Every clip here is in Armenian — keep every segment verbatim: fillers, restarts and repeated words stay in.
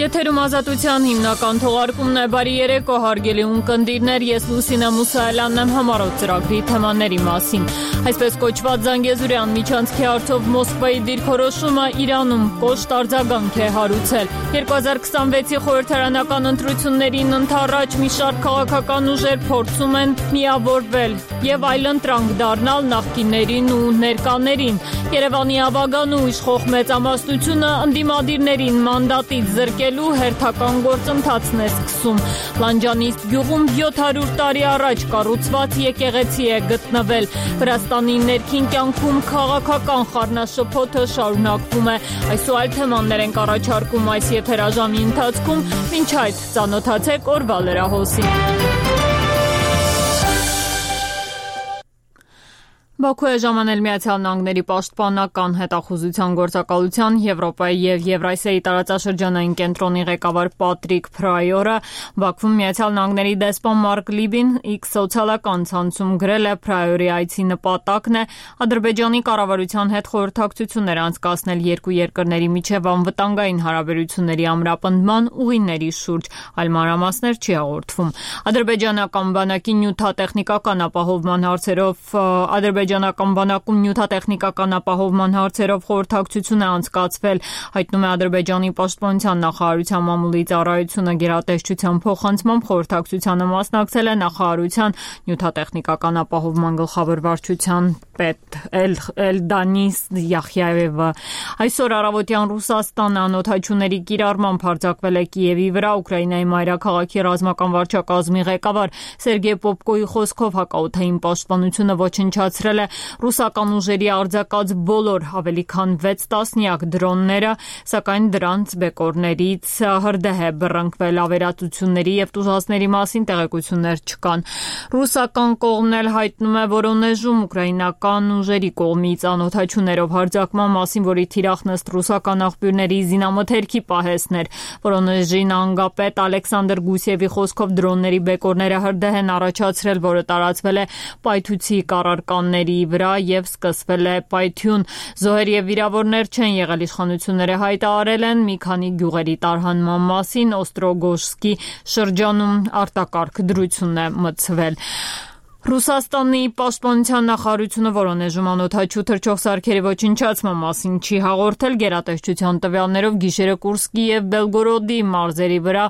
Եթերում ազատության հիմնական թողարկումն է, բարի երեկո հարգելի ունկնդիրներ, ես Լուսինե Մուսայելյանն եմ համառոտ ծրագրի թեմաների մասին։ Այսպես կոչված Զանգեզուրյան միջանցքի հարցով Մոսկվայի դիրքորոշումը Իրանում կոշտ արձագանք է հարուցել։ երկու հազար քսանվեցի խորհրդարանական ընտրություններին ընդառաջ մի շարք քաղաքական ուժեր փորձում են միավորվել եւ այլընտրանք դառնալ նախկիններին ու ներկաներին։ Երևանի ավագան ու իշխող մեծամասնությունը ընդդիմադիրներին մանդատից զրկելու հերթական գործընթացն է սկսում։ Լանջանիստ գյուղում յոթ հարյուր տարի առաջ կառուցված եկեղեցի է գտնվել։ Վրաստանի ներքին կյանքում քաղաքական խառնաշփոթը շարունակվում է։ Այս ու այլ թեմաներ ենք առաջարկում այս եթերաժամի ընթացքում։ Մինչ այդ ծանոթացեք օրվա լրահոսին։ Բաքու է ժամանել Միացյալ Նահանգների պաշտպանական հետախուզության գործակալության Եվրոպայի եւ Եվրասիայի տարածաշրջանային կենտրոնի ղեկավար Պատրիկ Փրայորը Բաքվում Միացյալ Նահանգների դեսպան Մարկ Լիբին X սոցիալական ցանցում գրել է Փրայորի այցի նպատակն է Ադրբեջանի կառավարության հետ խորհրդակցություններ անցկացնել երկու երկրների միջև անվտանգային հարաբերությունների ամրապնդման ուղիների շուրջ, այլ մանրամասներ չի հաղորդվում։ Ադրբեջանական բանակի նյութատեխնիկական ապահովման հարցերով Ադրբեջանական բանակում նյութատեխնիկական ապահովման հարցերով խորհրդակցություն է անցկացվել, հայտնում է Ադրբեջանի պաշտպանության նախարարության մամուլի ծառայությունը գերատեսչության փոխանցմամբ խորհրդակցությանը մասնակցել է նախարարության նյութատեխնիկական ապահովման գլխավոր վարչության պետ Էլդանիս Յախյաևը։ Այսօր առավոտյան Ռուսաստանը անօդաչուների կիրառմամբ հարձակվել է Կիևի վրա, Ուկրաինայի մայրաքաղաքի ռազմական վարչակազմի ղեկավար Սերգեյ Պոպկոյի խոսքով հակաօդային պաշտպանությունը ոչնչացրել է ռուսական ուժերի արձակած բոլոր ավելի քան վեց տասնյակ դրոնները, սակայն դրանց բեկորներից հրդեհ է բռնկվել, ավերածությունների եւ տուժածների մասին տեղեկություններ չկան։ Ռուսական կողմն էլ հայտնում է Վորոնեժում ուկրաինական ուժերի կողմից անօդաչուներով հարձակման մասին, որի թիրախն ըստ ռուսական աղբյուրների զինամթերքի պահեսներ։ Վորոնեժի նահանգապետ Ալեքսանդր Գուսիևի խոսքով դրոնների բեկորները հրդեհ են առաջացրել, որը տարածվել է պայթուցի կառարկանների վրա եւ սկսվել է պայթյուն։ Զոհեր եւ վիրավորներ չեն եղել, իշխանությունները հայտարարել են մի քանի գյուղերի տարհանման մասին, Օստրոգոժսկի շրջանում արտակարգ դրություն է մտցվել։ Ռուսաստանի պաշտպանության նախարարությունը Վորոնեժում անօդաչու թռչող սարքերի ոչնչացման մասին չի հաղորդել, գերատեսչության տվյալներով գիշերը Կուրսկի եւ Բելգորոդի մարզերի վրա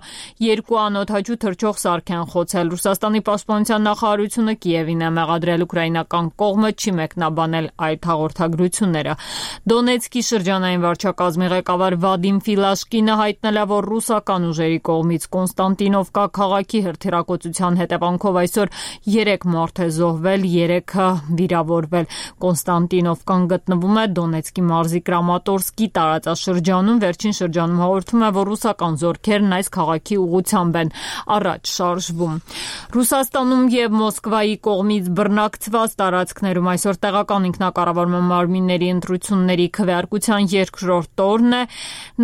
երկու անօդաչու թռչող սարք են խոցել։ Ռուսաստանի պաշտպանության նախարարությունը Կիևին է մեղադրել, ուկրաինական կողմը չի մեկնաբանել այդ հաղորդագրությունները։ Դոնեցկի շրջանային վարչակազմի ղեկավար Վադիմ Ֆիլաշկինը հայտնել է, որ ռուսական ուժերի կողմից Կոնստանտինովկա քաղաքի հրթիռակոծության հետևանքով այսօր երեք մարդ է զոհվել, երեքը վիրավորվել։ Կոնստանտինովկան գտնվում է Դոնեցկի մարզի Կրամատորսկի տարածաշրջանում, վերջին շրջանում հաղորդում է, որ ռուսական զորքերն այս քաղաքի ուղղությամբ են առաջ շարժվում։ Ռուսաստանում եւ Մոսկվայի կողմից բռնակցված տարածքներում այսօր տեղական ինքնակառավարման մարմինների ընտրությունների քվեարկության երկրորդ օրն է։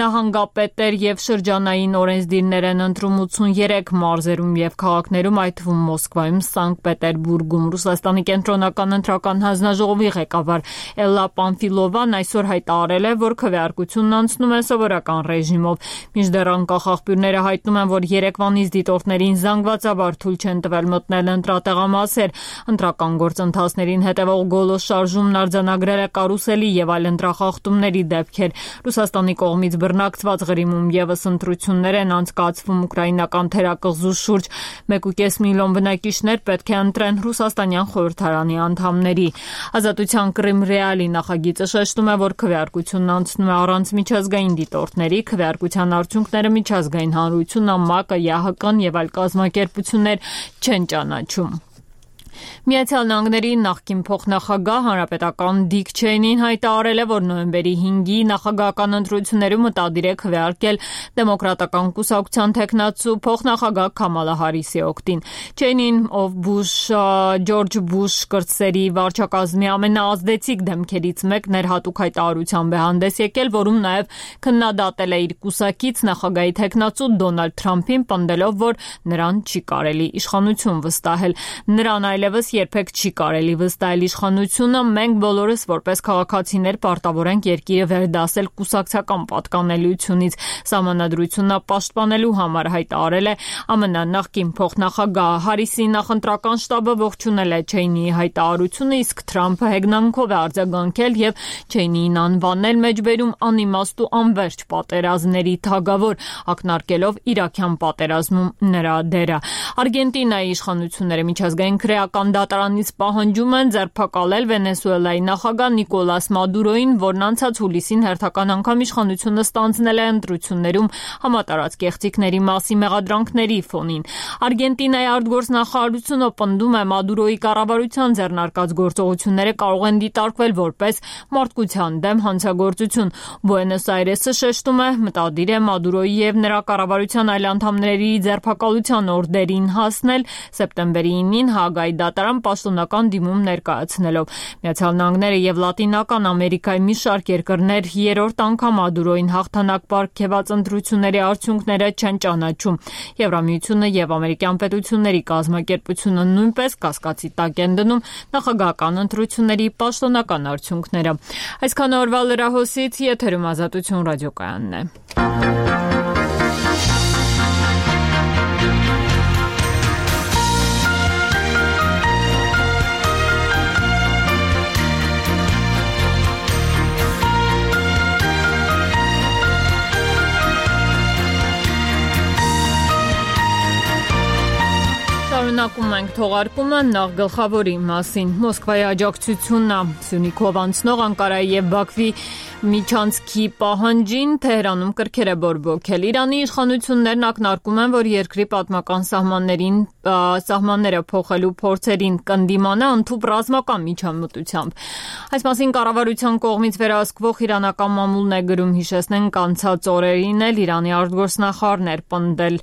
Նահանգապետեր եւ շրջանային օրենսդիրներ են ընտրում ութսուններեք մարզերում եւ քաղաքներում, այդ թվում Մոսկվայում, Սանկտ Պետերբուրգում։ Ռուսաստանի կենտրոնական ընտրական հանձնաժողովի ղեկավար Էլլա Պանֆիլովան այսօր հայտարարել է, որ քվեարկությունն անցնում է սովորական ռեժիմով։ Մինչդեռ անկախ աղբյուրները հայտնում են, որ երեկվանից դիտորդներին զանգվածաբար թույլ չեն տվել մտնել ընտրատեղամասեր։ Ընտրական գործընթացներին հետևող գոլոս շարժումն արձանագրել է կարուսելի եւ այլ ընտրախախտումների դեպքեր։ Ռուսաստանի կողմից բռնակցված Ղրիմում եւս ընտրություններ են անցկացվում, ուկրաինական թերակղզու շուրջ մեկ ու կես միլիոն բնակիչներ պետք է ընտրեն ռուսաստանյան խորհրդարանի անդամների։ Ազատության Կրիմ ռեալի նախագիծը շեշտում է, որ քվեարկությունն անցնում է առանց միջազգային դիտորդների, քվեարկության արդյունքները միջազգային հանրությունը, ՄԱԿ-ը, ԵԱՀԿ-ն եւ այլ կազմակերպություններ չեն ճանաչում։ Միացյալ Նահանգների նախկին փոխնախագահ հանրապետական Դիկ Չեյնին հայտարարել է, որ նոյեմբերի հինգի նախագահական ընտրություններում մտադիր է քվեարկել դեմոկրատական կուսակցության թեկնածու փոխնախագահ Քամալա Հարիսի օգտին։ Չեյնին, ով Բուշ Ջորջ Բուշ կրտսերի վարչակազմի ամենաազդեցիկ դեմքերից մեկն էր, հատուկ հայտարարությամբ է հանդես եկել, որում նաև քննադատել է իր կուսակից նախագահի թեկնածու Դոնալդ Թրամփին, պնդելով, որ նրան չի կարելի իշխանություն վստահել։ Նրան այլ այլևս երբեք չի կարելի վստահել իշխանությունը, մենք բոլորս որպես քաղաքացիներ պարտավոր ենք երկիրը վերդասել կուսակցական պատկանելիությունից, սահմանադրությունը պաշտպանելու համար, հայտարարել է ԱՄՆ նախկին փոխնախագահ Հարիսի նախընտրական շտաբը ողջունել է Չեյնիի հայտարարությունը, իսկ Թրամփը հեգնանքով է արձագանքել եւ Չեյնիին անվանել մեջբերում անիմաստ ու անվերջ պատերազմների թագավոր, ակնարկելով իրաքյան պատերազմում նրա դերը։ Արգենտինայի իշխանությունները միջազգային քրեական դատարանից պահանջում են ձերբակալել Վենեսուելայի նախագահ Նիկոլաս Մադուրոին, որն անցած հուլիսին հերթական անգամ իշխանությունը ստանձնել է ընտրություններում համատարած կեղծիքների մասի մեղադրանքների ֆոնին։ Արգենտինայի արտգործնախարարությունը պնդում է Մադուրոյի կառավարության ձեռնարկած գործողությունները կարող են դիտարկվել որպես մարդկության դեմ հանցագործություն։ Բուենոս Այրեսը շեշտում է, մտադիր է Մադուրոյի եւ նրա կառավարության այլ անդամների ձերբակալության օրդերին հասնել սեպտեմբերի ինին Հաագայի դատարան պաշտոնական դիմում ներկայացնելով։ Միացյալ Նահանգները եւ Լատինական Ամերիկայի մի շարք երկրներ երրորդ անգամ Մադուրոյին հաղթանակ պարգևած ընտրությունների արդյունքները չեն ճանաչում։ Եվրամիությունը եւ ամերիկյան պետությունների կազմակերպությունը նույնպես կասկածի տակ են դնում նախագահական ընտրությունների պաշտոնական արդյունքները։ Այսքան օրվա լրահոսից եթերում Ազատություն ռադիոկայանն է։ Շարունակում ենք թողարկումը նախ գլխավորի մասին։ Մոսկվայի աջակցությունը Սյունիքով անցնող Անկարայի եւ Բաքվի միջանցքի պահանջին Թեհրանում կրքեր է բորբոքել։ Իրանի իշխանություններն ակնարկում են, որ երկրի պատմական սահմաններին սահմանները փոխելու փորձերին կընդդիմանա ընդհանուր ռազմական միջամտությամբ։ Այս մասին կառավարության կողմից վերահսկվող իրանական մամուլն է գրում, հիշեցնենք անցած օրերին էլ Իրանի արտգործնախարարն էր պնդել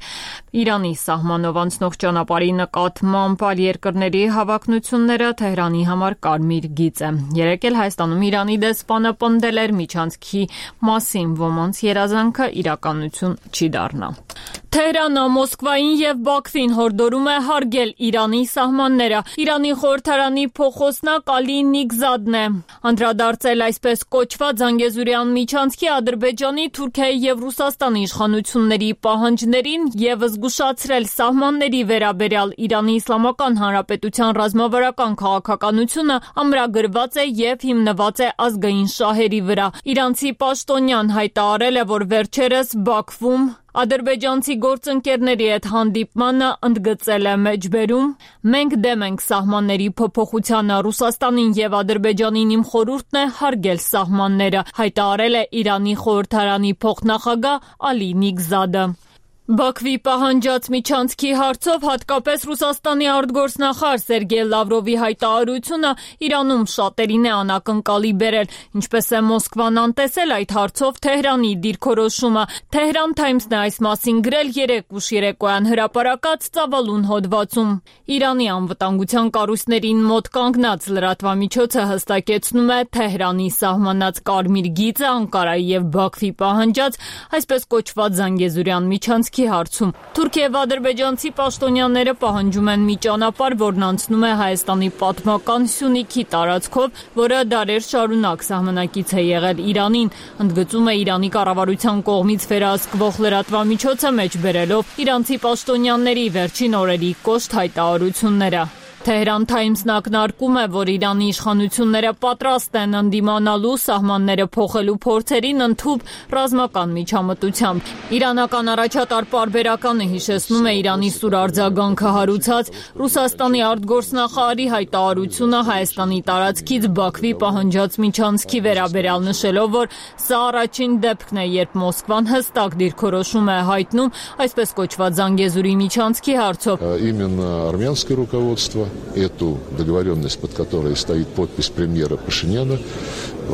Իրանի սահմանով անցնող ճանապարհի նկատմամբ այլ երկրների հավակնությունները Թեհրանի համար կարմիր գիծ է։ Երեկ էլ Հայաստանում Իրանի դեսպանը պնդել էր միջանցքի մասին, ոմանց երազանքը իրականություն չի դառնա։ Թեհրանը Մոսկվային եւ Բաքվին հորդորում է հարգել Իրանի սահմանները։ Իրանի խորհրդարանի փոխոսնակ Ալի Նիգզադն է անդրադարձել այսպես կոչված Զանգեզուրյան միջանցքի Ադրբեջանի, Թուրքիայի եւ Ռուսաստանի իշխանությունների պահանջներին եւ զգուշացրել սահմանների վերաբերյալ Իրանի Իսլամական Հանրապետության ռազմավարական քաղաքականությունը ամրագրված է եւ հիմնված է ազգային շահերի վրա։ Իրանցի պաշտոնյան հայտարարել է, որ վերջերս Բաքվում ադրբեջանցի գործընկերների հետ հանդիպմանը ընդգծել է մեջբերում. մենք դեմ ենք սահմանների փոփոխությանը, Ռուսաստանին եւ Ադրբեջանին իմ խորհուրդն է հարգել սահմանները, հայտարարել է Իրանի խորհրդարանի փոխնախագահ Ալի Նիգզադը։ Բաքվի պահանջած միջանցքի հարցով հատկապես Ռուսաստանի արտգործնախարար Սերգեյ Լավրովի հայտարարությունը Իրանում շատերին է անակնկալի բերել, ինչպես է Մոսկվան անտեսել այդ հարցով Թեհրանի դիրքորոշումը։ Tehran Times-ն է այս մասին գրել երեկ ուշ երեկոյան հրապարակած ծավալուն հոդվածում։ Իրանի անվտանգության կառույցներին մոտ կանգնած լրատվամիջոցը հստակեցնում է Թեհրանի սահմանած կարմիր գիծը Անկարայի եւ Բաքվի պահանջած այսպես կոչված Զանգեզուրյան միջանցքի հարցում։ Թուրքիա եւ ադրբեջանցի պաշտոնյաները պահանջում են մի ճանապարհ, որն անցնում է Հայաստանի պատմական Սյունիքի տարածքով, որը դարեր շարունակ սահմանակից է եղել Իրանին, ընդգծում է Իրանի կառավարության կողմից վերահսկվող լրատվամիջոցը մեջբերելով իրանցի պաշտոնյաների վերջին օրերի կոշտ հայտարարությունները։ Tehran Times-ն ակնարկում է, որ Իրանի իշխանությունները պատրաստ են ընդդիմանալու սահմանները փոխելու փորձերին ընդհանուր ռազմական միջամտությամբ։ Իրանական առաջատար պարբերականը հիշեցնում է Իրանի սուր արձագանքը հարուցած Ռուսաստանի արտգործնախարարի հայտարարությունը Հայաստանի տարածքից Բաքվի պահանջած միջանցքի վերաբերյալ, նշելով, որ սա առաջին դեպքն է, երբ Մոսկվան հստակ դիրքորոշում է հայտնում այսպես կոչված Զանգեզուրի միջանցքի հարցով։ Именно армянское руководство эту договоренность, под которой стоит подпись премьера Пашиняна,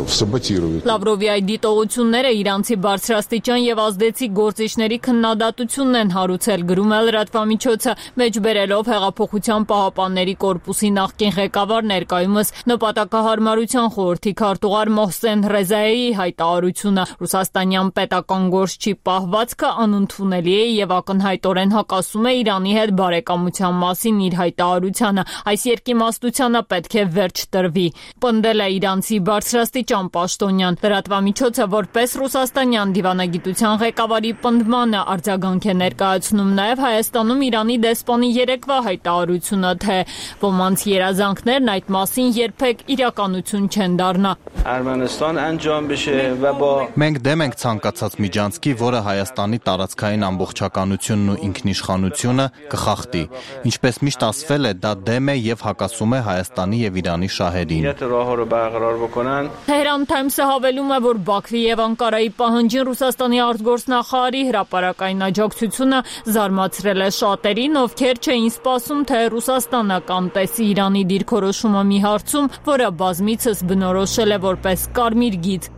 саботируют. Լավրովի այդ դիտողությունները իրանցի բարձրաստիճան եւ ազդեցիկ գործիչների քննադատությունն են հարուցել, գրում է լրատվամիջոցը, մեջբերելով հեղափոխության պահապանների կորպուսի նախկին ղեկավար ներկայումս նպատակահարմարության խորհրդի քարտուղար Մոհսեն Ռեզայեի հայտարարությունը. Ռուսաստանյան պետական գործչի պահվածքը անընդունելի է եւ ակնհայտորեն հակասում է Իրանի հետ բարեկամության մասին իր հայտարարությանը. այս երկիմաստությանը պետք է վերջ տրվի, պնդել է իրանցի բարձրաստիճան պաշտոնյան։ Լրատվամիջոցը որպես ռուսաստանյան դիվանագիտության ղեկավարի պնդմանը արձագանք է ներկայացնում նաև Հայաստանում Իրանի դեսպանի երեկվա հայտարարությունը, թե ոմանց երազանքներն այդ մասին երբեք իրականություն չեն դառնա։ Մենք դեմ ենք ցանկացած միջանցքի, որը Հայաստանի տարածքային ամբողջականությունն ու ինքնիշխանությունը կխախտի։ Ինչպես միշտ ասվել է, դա դեմ է եւ հակասում է Հայաստանի եւ Իրանի շահերին։ Թեհրան Թայմսը հավելում է, որ Բաքվի եւ Անկարայի պահանջին Ռուսաստանի արտգործնախարարի հրապարակային աջակցությունը զարմացրել է շատերին, ովքեր չէին սպասում, թե Ռուսաստանը կանտեսի Իրանի դիրքորոշումը մի հարցում, որը բազմիցս բնորոշել է որպես կարմիր գիծ։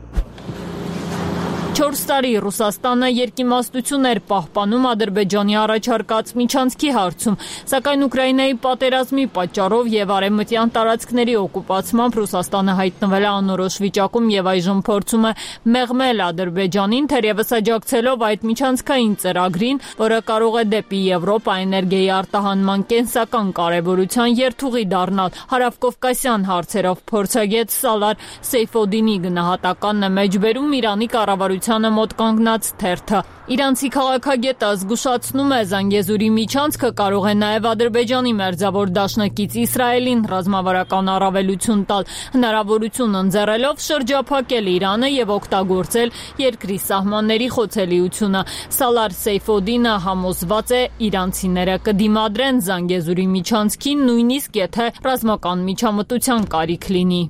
Չորս տարի Ռուսաստանը երկիմաստություն էր պահպանում Ադրբեջանի առաջարկած միջանցքի հարցում, սակայն Ուկրաինայի պատերազմի պատճառով եւ արևմտյան տարածքների օկուպացմամբ Ռուսաստանը հայտնվել է անորոշ վիճակում եւ այժմ փորձում է մեղմել Ադրբեջանին, թերևս աջակցելով այդ միջանցքային ծրագրին, որը կարող է դեպի Եվրոպա էներգիայի արտահանման կենսական կարևորության երթուղի դառնալ։ Հարավկովկասյան հարցերով փորձագետ Սալար Սեյֆոդինի գնահատականն է մեջբերում Իրանի կառավարության մոտ կանգնած թերթը։ Իրանցի քաղաքագետը զգուշացնում է, Զանգեզուրի միջանցքը կարող է նաև Ադրբեջանի մերձավոր դաշնակից Իսրայելին ռազմավարական առավելություն տալ, հնարավորություն ընձեռելով շրջափակել Իրանը եւ օգտագործել երկրի սահմանների խոցելիությունը։ Սալար Սեյֆոդինը համոզված է, իրանցիները կդիմադրեն Զանգեզուրի միջանցքին, նույնիսկ եթե ռազմական միջամտության կարիք լինի։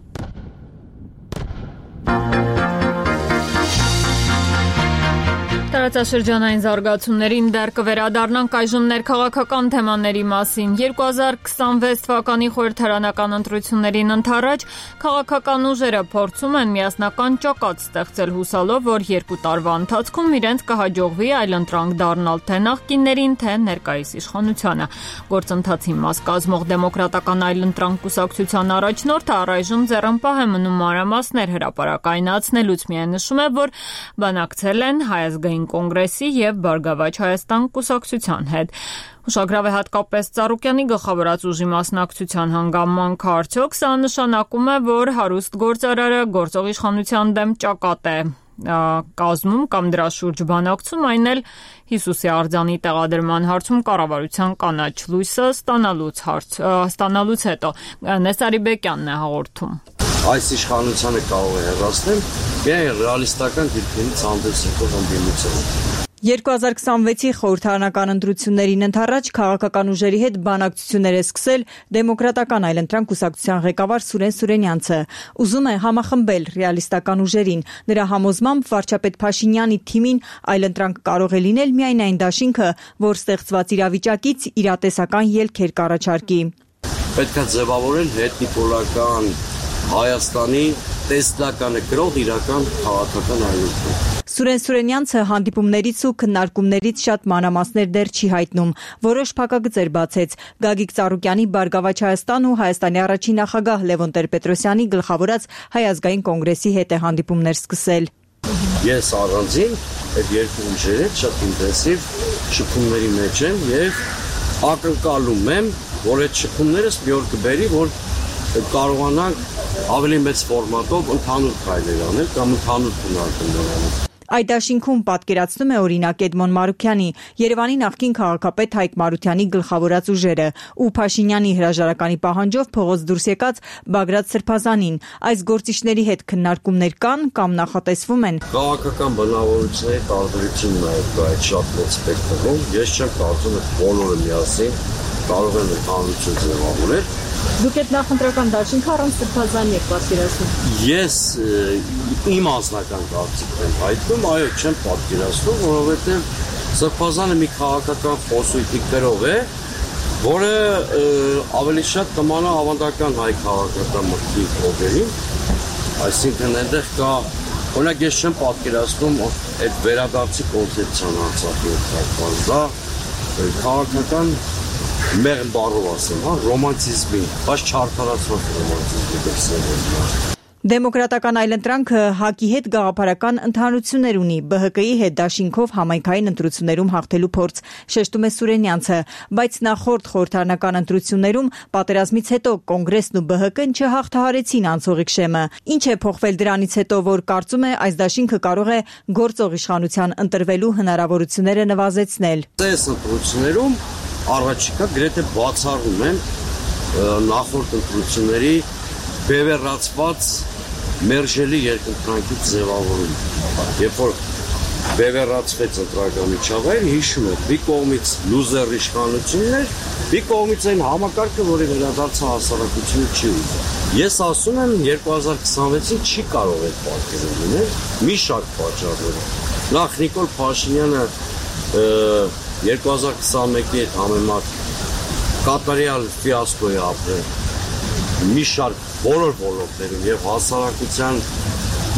Տարածաշրջանային զարգացումներին դեռ կվերադառնանք այժմ ներքաղաքական թեմաների մասին։ երկու հազար քսանվեց թվականի խորհրդարանական ընտրություններին ընդառաջ քաղաքական ուժերը փորձում են միասնական ճակատ ստեղծել, հուսալով, որ երկու տարվա ընթացքում իրենց կհաջողվի այլընտրանք դառնալ թե նախկիններին, թե ներկայիս իշխանությանը։ Գործընթացի մաս կազմող դեմոկրատական այլընտրանք կուսակցության առաջնորդը առայժմ ձեռնպահ է մնում մանրամասներ հրապարակայնացնելուց, միայն նշում է, որ բանակցել են Հայ ազգային կոնգրեսի եւ Բարգավաճ Հայաստան կուսակցության հետ։ Ուշագրավ է հատկապես Ծառուկյանի գլխավորած ուժի մասնակցության հանգամանքը, արդյոք սա նշանակում է, որ հարուստ գործարարը գործող իշխանության դեմ ճակատ է կազմում կամ դրա շուրջ բանակցում, այն էլ Հիսուսի արձանի տեղադրման հարցում կառավարության կանաչ լույսը ստանալուց հարց ստանալուց հետո Նեսարի Բեկյանն է հաղորդում։ Այս իշխանությանը կարող է հեռացնել միայն ռեալիստական դիրքերից հանդես եկող ընդդիմությունը։ երկու հազար քսանվեցի խորհրդարանական ընտրություններին ընդառաջ քաղաքական ուժերի հետ բանակցություններ է սկսել դեմոկրատական այլընտրանք կուսակցության ղեկավար Սուրեն Սուրենյանցը։ Ուզում է համախմբել ռեալիստական ուժերին։ Նրա համոզմամբ վարչապետ Փաշինյանի թիմին այլընտրանք կարող է լինել միայն այն դաշինքը, որ ստեղծված իրավիճակից իրատեսական ելքեր կառաջարկի։ Պետք է ձևավորել հետնիպոլական Հայաստանի տեսլականը գրող իրական քաղաքական այլընտրանք։ Սուրեն Սուրենյանցը հանդիպումներից ու քննարկումներից շատ մանրամասներ դեռ չի հայտնում։ Որոշ փակագծեր բացեց։ Գագիկ Ծառուկյանի Բարգավաճ Հայաստան ու Հայաստանի առաջին նախագահ Լևոն Տեր-Պետրոսյանի գլխավորած Հայ ազգային կոնգրեսի հետ է հանդիպումներ սկսել։ Ես առանձին այդ երկու ուժերի շատ ինտենսիվ շփումների մեջ եմ եւ ակնկալում եմ, որ այդ շփումներս մի օր կբերի, որ կարողանանք ավելի մեծ ֆորմատով ընդհանուր քայլեր անել կամ ընդհանուր քննարկումներ անել։ Այդ դաշինքում պատկերացնում է օրինակ Էդմոն Մարուքյանի, Երևանի նախկին քաղաքապետ Հայկ Մարությանի գլխավորած ուժերը ու Փաշինյանի հրաժարականի պահանջով փողոց դուրս եկած Բագրատ Սրբազանին։ Այս գործիչների հետ քննարկումներ կան կամ նախատեսվում են։ Քաղաքական բնավորությունների տարբերությունն է այդ շատ մեծ սպեկտրում։ Ես չեմ կարծում, որ բոլորը միասին կարող են ընդհանրություն ձևավորել։ Դուք այդ նախընտրական դաշինքը առանց Սրբազանի եք պատկերացնում։ Ես իմ անձնական կարծիքն եմ հայտնում, այո, չեմ պատկերացնում, որովհետև Սրբազանը մի քաղաքական խոսույթի գրող է, որը ավելի շատ կմանա ավանդական հայ քաղաքական մտքի փոխերին Այսինքն այնտեղ կա, օրինակ ես չեմ պատկերացնում այդ վերադարձի կոնցեպցիան Արցախի կապված, դա քաղաքական մեղմ բառով ասեմ, հա, ռոմանտիզմի, բայց չարդարացված ռոմանտիզմի դրսևորում։ Դեմոկրատական այլընտրանքը ՀԱԿ-ի հետ գաղափարական ընդհանրություններ ունի, ԲՀԿ-ի հետ դաշինքով համայնքային ընտրություններում հաղթելու փորձ, շեշտում է Սուրենյանցը, բայց նախորդ խորհրդարանական ընտրություններում պատերազմից հետո Կոնգրեսն ու ԲՀԿ-ն չհաղթահարեցին անցողիկ շեմը։ Ինչ է փոխվել դրանից հետո, որ կարծում է այս դաշինքը կարող է գործող իշխանության ընտրվելու հնարավորությունները նվազեցնել։ Այս ընտրություններում առաջիկա գրեթե բացառում են նախորդ ընտրությունների բևեռացված մերժելի երկընտրանքի ձևավորում։ Երբ որ բևեռացվեց ընտրական միջավայր, հիշում եք, մի կողմից լուզեր իշխանություններ, մի կողմից այն համակարգը, որի վերադարձը հասարակությունը չի ուզում։ Ես ասում եմ երկու հազար քսանվեցին չի կարող այդ պատկերը լինել, մի շարք պատճառներով։ Նախ Նիկոլ Փաշինյանը երկու հազար քսանմեկի հետ համեմատ կատարյալ ֆիասկո է ապրել մի շարք բոլոր ոլորտներում եւ հասարակության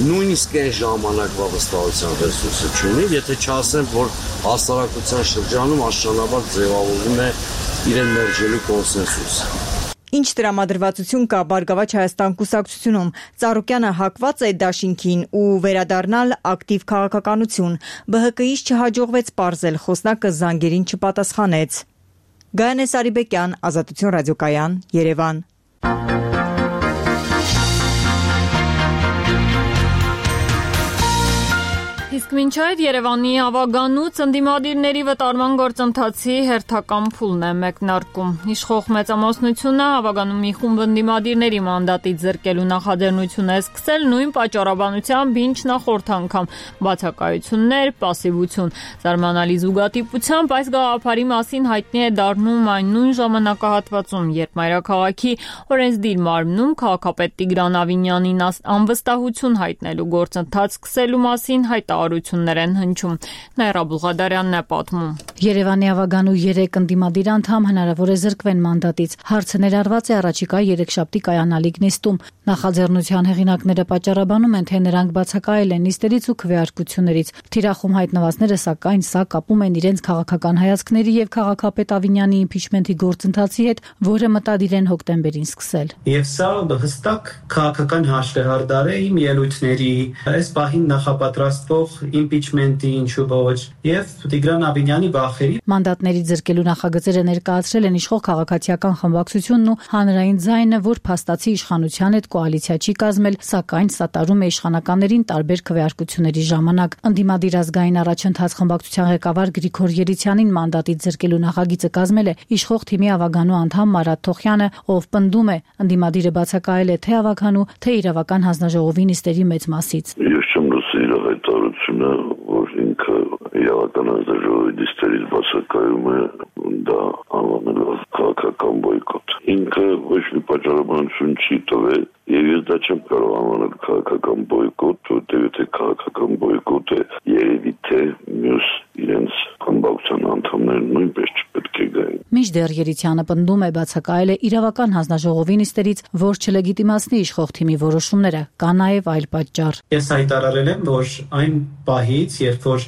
նույնիսկ այն ժամանակվա վստահության ռեսուրսը չունի, եթե չասեմ, որ հասարակության շրջանում աստիճանաբար ձևավորվում է իրեն մերժելու կոնսենսուս։ Ինչ տրամադրվածություն կա Բարգավաճ Հայաստան կուսակցությունում, Ծառուկյանը հակված է դաշինքին ու վերադառնալ ակտիվ քաղաքականություն, ԲՀԿ-ից չհաջողվեց պարզել, խոսնակը զանգերին չպատասխանեց։ Գայանե Սարիբեկյան, Ազատություն ռադիոկայան, Երևան։ Իսկ մինչ այդ Երևանի ավագանուց ընդդիմադիրների վտարման գործընթացի հերթական փուլն է մեկնարկում։ Իշխող մեծամասնությունը ավագանում մի խումբ ընդդիմադիրների մանդատից զրկելու նախաձեռնություն է սկսել նույն պատճառաբանությամբ, ինչ նախորդ անգամ՝ բացակայություններ, պասիվություն։ Զարմանալի զուգատիպությամբ այս գաղափարի մասին հայտնի է դառնում այն նույն ժամանակահատվածում, երբ մայրաքաղաքի օրենսդիր մարմնում քաղաքապետ Տիգրան Ավինյանին անվստահություն հայտնելու գործընթաց սկսելու մասին հայտարարություն են հնչում։ Նաիրա Բուղադարյանն է պատմում։ Երևանի ավագանու երեք ընդդիմադիր անդամ հնարավոր է զրկվեն մանդատից։ Հարցը ներառված է առաջիկա երեքշաբթի կայանալիք նիստում։ Նախաձեռնության հեղինակները պատճառաբանում են, թե նրանք բացակայել են նիստերից ու քվեարկություններից։ Թիրախում հայտնվածները սակայն սա կապում են իրենց քաղաքական հայացքների եւ քաղաքապետ Ավինյանի իմպիչմենթի գործընթացի հետ, որը մտադիր են հոկտեմբերին սկսել։ Եվ սա հստակ քաղաքական հաշվեհարդար է իմ ելույթների, այս պահին նախապատրաստվող իմպիչմենտի, ինչու ոչ, եւ Տիգրան Ավինյանի վախերի։ Մանդատների զրկելու նախագծերը ներկայացրել են իշխող քաղաքացիական խմբակցությունն ու հանրային ձայնը, որ փաստացի իշխանության հետ կոալիցիա չի կազմել, սակայն սատարում է իշխանականներին տարբեր քվեարկությունների ժամանակ։ Ընդդիմադիր ազգային առաջընթաց խմբակցության ղեկավար Գրիգոր Երիցյանին մանդատից զրկելու նախագիծը կազմել է իշխող թիմի ավագանու անդամ Մարատ Թոխյանը, ով պնդում է, ընդդիմադիրը բացակայել է թե ավագանու, թե իրավական հանձնաժողովի նիստերի մեծ մասից։ Ես չեմ լսել իր հայտարարությունը, որ ինքը իրավական հանձնաժողովի նիստերից բացակայում է, դա անվանելով քաղաքական բոյկոտ։ Ինքը ոչ մի պատճառաբանություն չի տվել, եւ ես դա չեմ կարող անվանել քաղաքական բոյկոտ, որտեղ եթե քաղաքական բոյկոտ է, երևի թե մյուս իրենց խմբակցության անդամները նույնպես չպետք է գային։ Մինչդեռ Երիցյանը պնդում է, բացակայել է իրավական հանձնաժողովի նիստերից, որ չլեգիտիմացնի իշխող թիմի որոշումները, կա նաև այլ պատճառ։ Ես հայտարարել եմ, որ այն պահից, երբ որ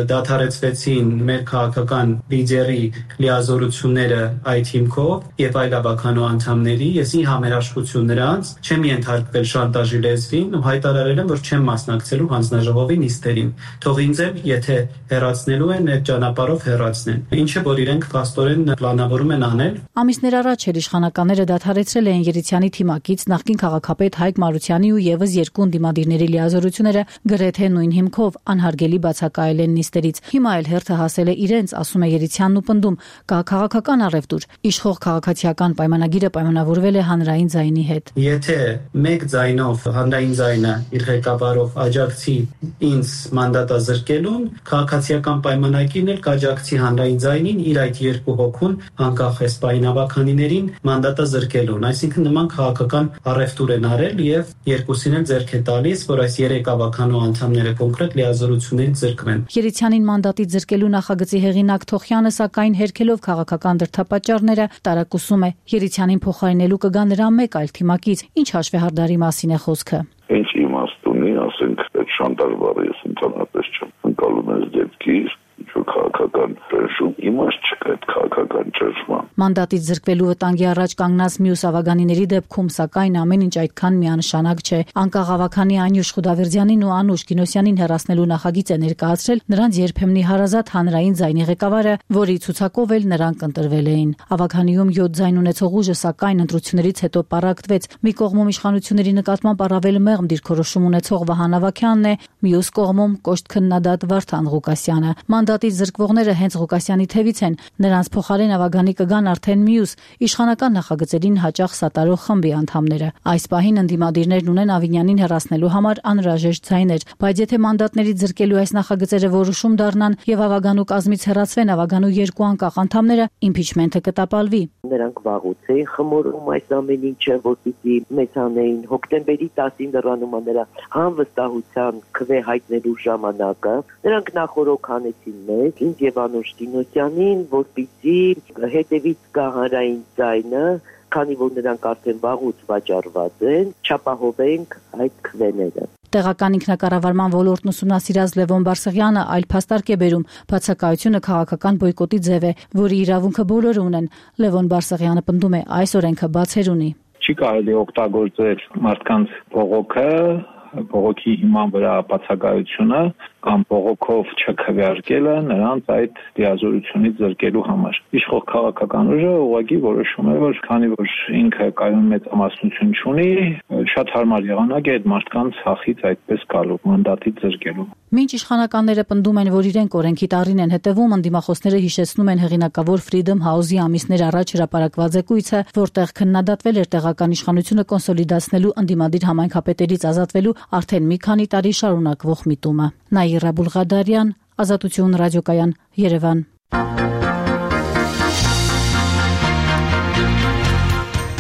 դադարեցվեցին մեր քաղաքական լիդերի լիազորությունները այդ հիմքով եւ այլ ավականու անդամների, ես ի համերաշխություն նրանց չեմ ենթարկվել շանտաժի լեզվին ու հայտարարել եմ, որ չեմ մասնակցելու հանձնաժողովի նիստերին։ Թող ինձ էլ, եթե հեռացնելու են, այդ ճանապարհով հեռացնեն։ Ինչը որ իրենք փաստորեն պլանավորում են անել։ Ամիսներ առաջ էր իշխանականները դադարեցրել են Երիցյանի թիմակից նախկին քաղաքապետ Հայկ Մարությանի ու եւս երկու ընդդիմադիրների լիազորությունները գրեթե նույն հիմքով անհարգելի բացակայել են նիստերից։ Հիմա էլ հերթը հասել է իրենց, ասում է Երիցյանն ու պնդում, կա քաղաքական առևտուր։ Իշխող քաղաքացիական պայմանագիրը պայմանավորվել է հանրային ձայնի հետ։ Եթե մեկ ձայնով հանրային ձայնը իր ղեկավարով աջակցի ինձ մանդատազրկելուն, քաղաքացիական պայմանագիրն էլ կաջակցի հանրային ձայնին իր այդ երկու հոգուն անկախ էսպային ավականիներին մանդատազրկելուն։ Այսինքն նման քաղաքական առևտուր են արել եւ երկուսին էլ ձեռք է տալիս, որ այս երեք ավականու անդամները կոնկրետ լիազորություններից զրկվեն։ Երիցյանին մանդատից զրկելու նախագծի հեղինակ Թոխյանը սակայն հերքելով քաղաքական դրդապատճառները տարակուսում է Երիցյանին փոխարինելու կգա նրա մեկ այլ թիմակից, ինչ հաշվեհարդարի մասին է խոսքը։ Ինչ ի լինի, ասենք այդ շանտաժ բառը ես ընդհանրապես չեմ ընկալում այս դեպքից, ինչ-որ քաղաքական ճնշում, իմաստ չկա այդ քաղաքական ճնշման։ Մանդատից զրկվելու վտանգի առաջ կանգնած մյուս ավագանիների դեպքում, սակայն ամեն ինչ այդքան միանշանակ չէ։ Անկախ ավագանի Անյուշ Խուդավերդյանին ու Անուշ Գինոսյանին հեռացնելու նախագիծ է ներկայացրել նրանց երբեմնի հարազատ հանրային ձայնի ղեկավարը, որի ցուցակով էլ նրանք ընտրվել էին։ Ավագանիում յոթ ձայն ունեցող ուժը, սակայն ընտրություններից հետո պառակտվեց։ Մի կողմում իշխանությունների նկատմամբ առավել մեղմ դիրքորոշում ունեցող Վահան Ավագյանն է, մյուս կողմում կոշտ քննադատ Վարդան Ղուկասյանը։ Մանդատից զրկվողները հենց Ղուկասյանի թևից են, նրանց փոխարեն ավագանի կգան արդեն մյուս իշխանական նախագծերին հաճախ սատարող խմբի անդամները։ Այս պահին ընդդիմադիրներն ունեն Ավինյանին հեռացնելու համար անհրաժեշտ ձայներ, բայց եթե մանդատներից զրկելու այս նախագծերը որոշում դառնան եւ ավագանու կազմից հեռացվեն ավագանու երկու անկախ անդամները, իմպիչմենթը կտապալվի։ Նրանք վաղուց էին խմորում այս ամեն ինչը, որ պիտի մեծ անեին։ Հոկտեմբերի տասին դրանումը նրա անվստահության քվե հայտնելու ժամանակը նրանք նախորոք հանեցին մեզ, ինձ եւ Անուշ Գինոսյանին, որ պիտի հետևից գա հանրային ձայնը, քանի որ նրանք արդեն վաղուց վաճառված են, չապահովենք այդ քվեները։ Տեղական ինքնակառավարման ոլորտն ուսումնասիրած Լևոն Բարսեղյանը այլ փաստարկ է բերում. բացակայությունը քաղաքական բոյկոտի ձև է, որի իրավունքը բոլորը ունեն։ Լևոն Բարսեղյանը պնդում է, այս օրենքը բացեր ունի։ Չի կարելի օգտագործել մարդկանց բողոքը, բողոքի հիման վրա բացակայությունը կամ բողոքով չքվեարկելը նրանց այդ դիազորությունից զրկելու համար։ Իշխող քաղաքական ուժը ուղղակի որոշում է, որ քանի որ ինքը կայուն մեծամասնություն չունի, շատ հարմար եղանակ է այդ մարդկանց հախից այդպես գալու, մանդատից զրկելու։ Մինչ իշխանականները պնդում են, որ իրենք օրենքի տառին են հետևում, ընդդիմախոսները հիշեցնում են հեղինակավոր Freedom House-ի ամիսներ առաջ հրապարակված զեկույցը, որտեղ քննադատվել էր տեղական իշխանությունը կոնսոլիդացնելու ընդդիմադիր համայնքապետերից ազատվելու արդեն մի քանի տարի շարունակվող միտումը։ Նաիրա Բուլղադարյան, Ազատություն ռադիոկայան, Երևան։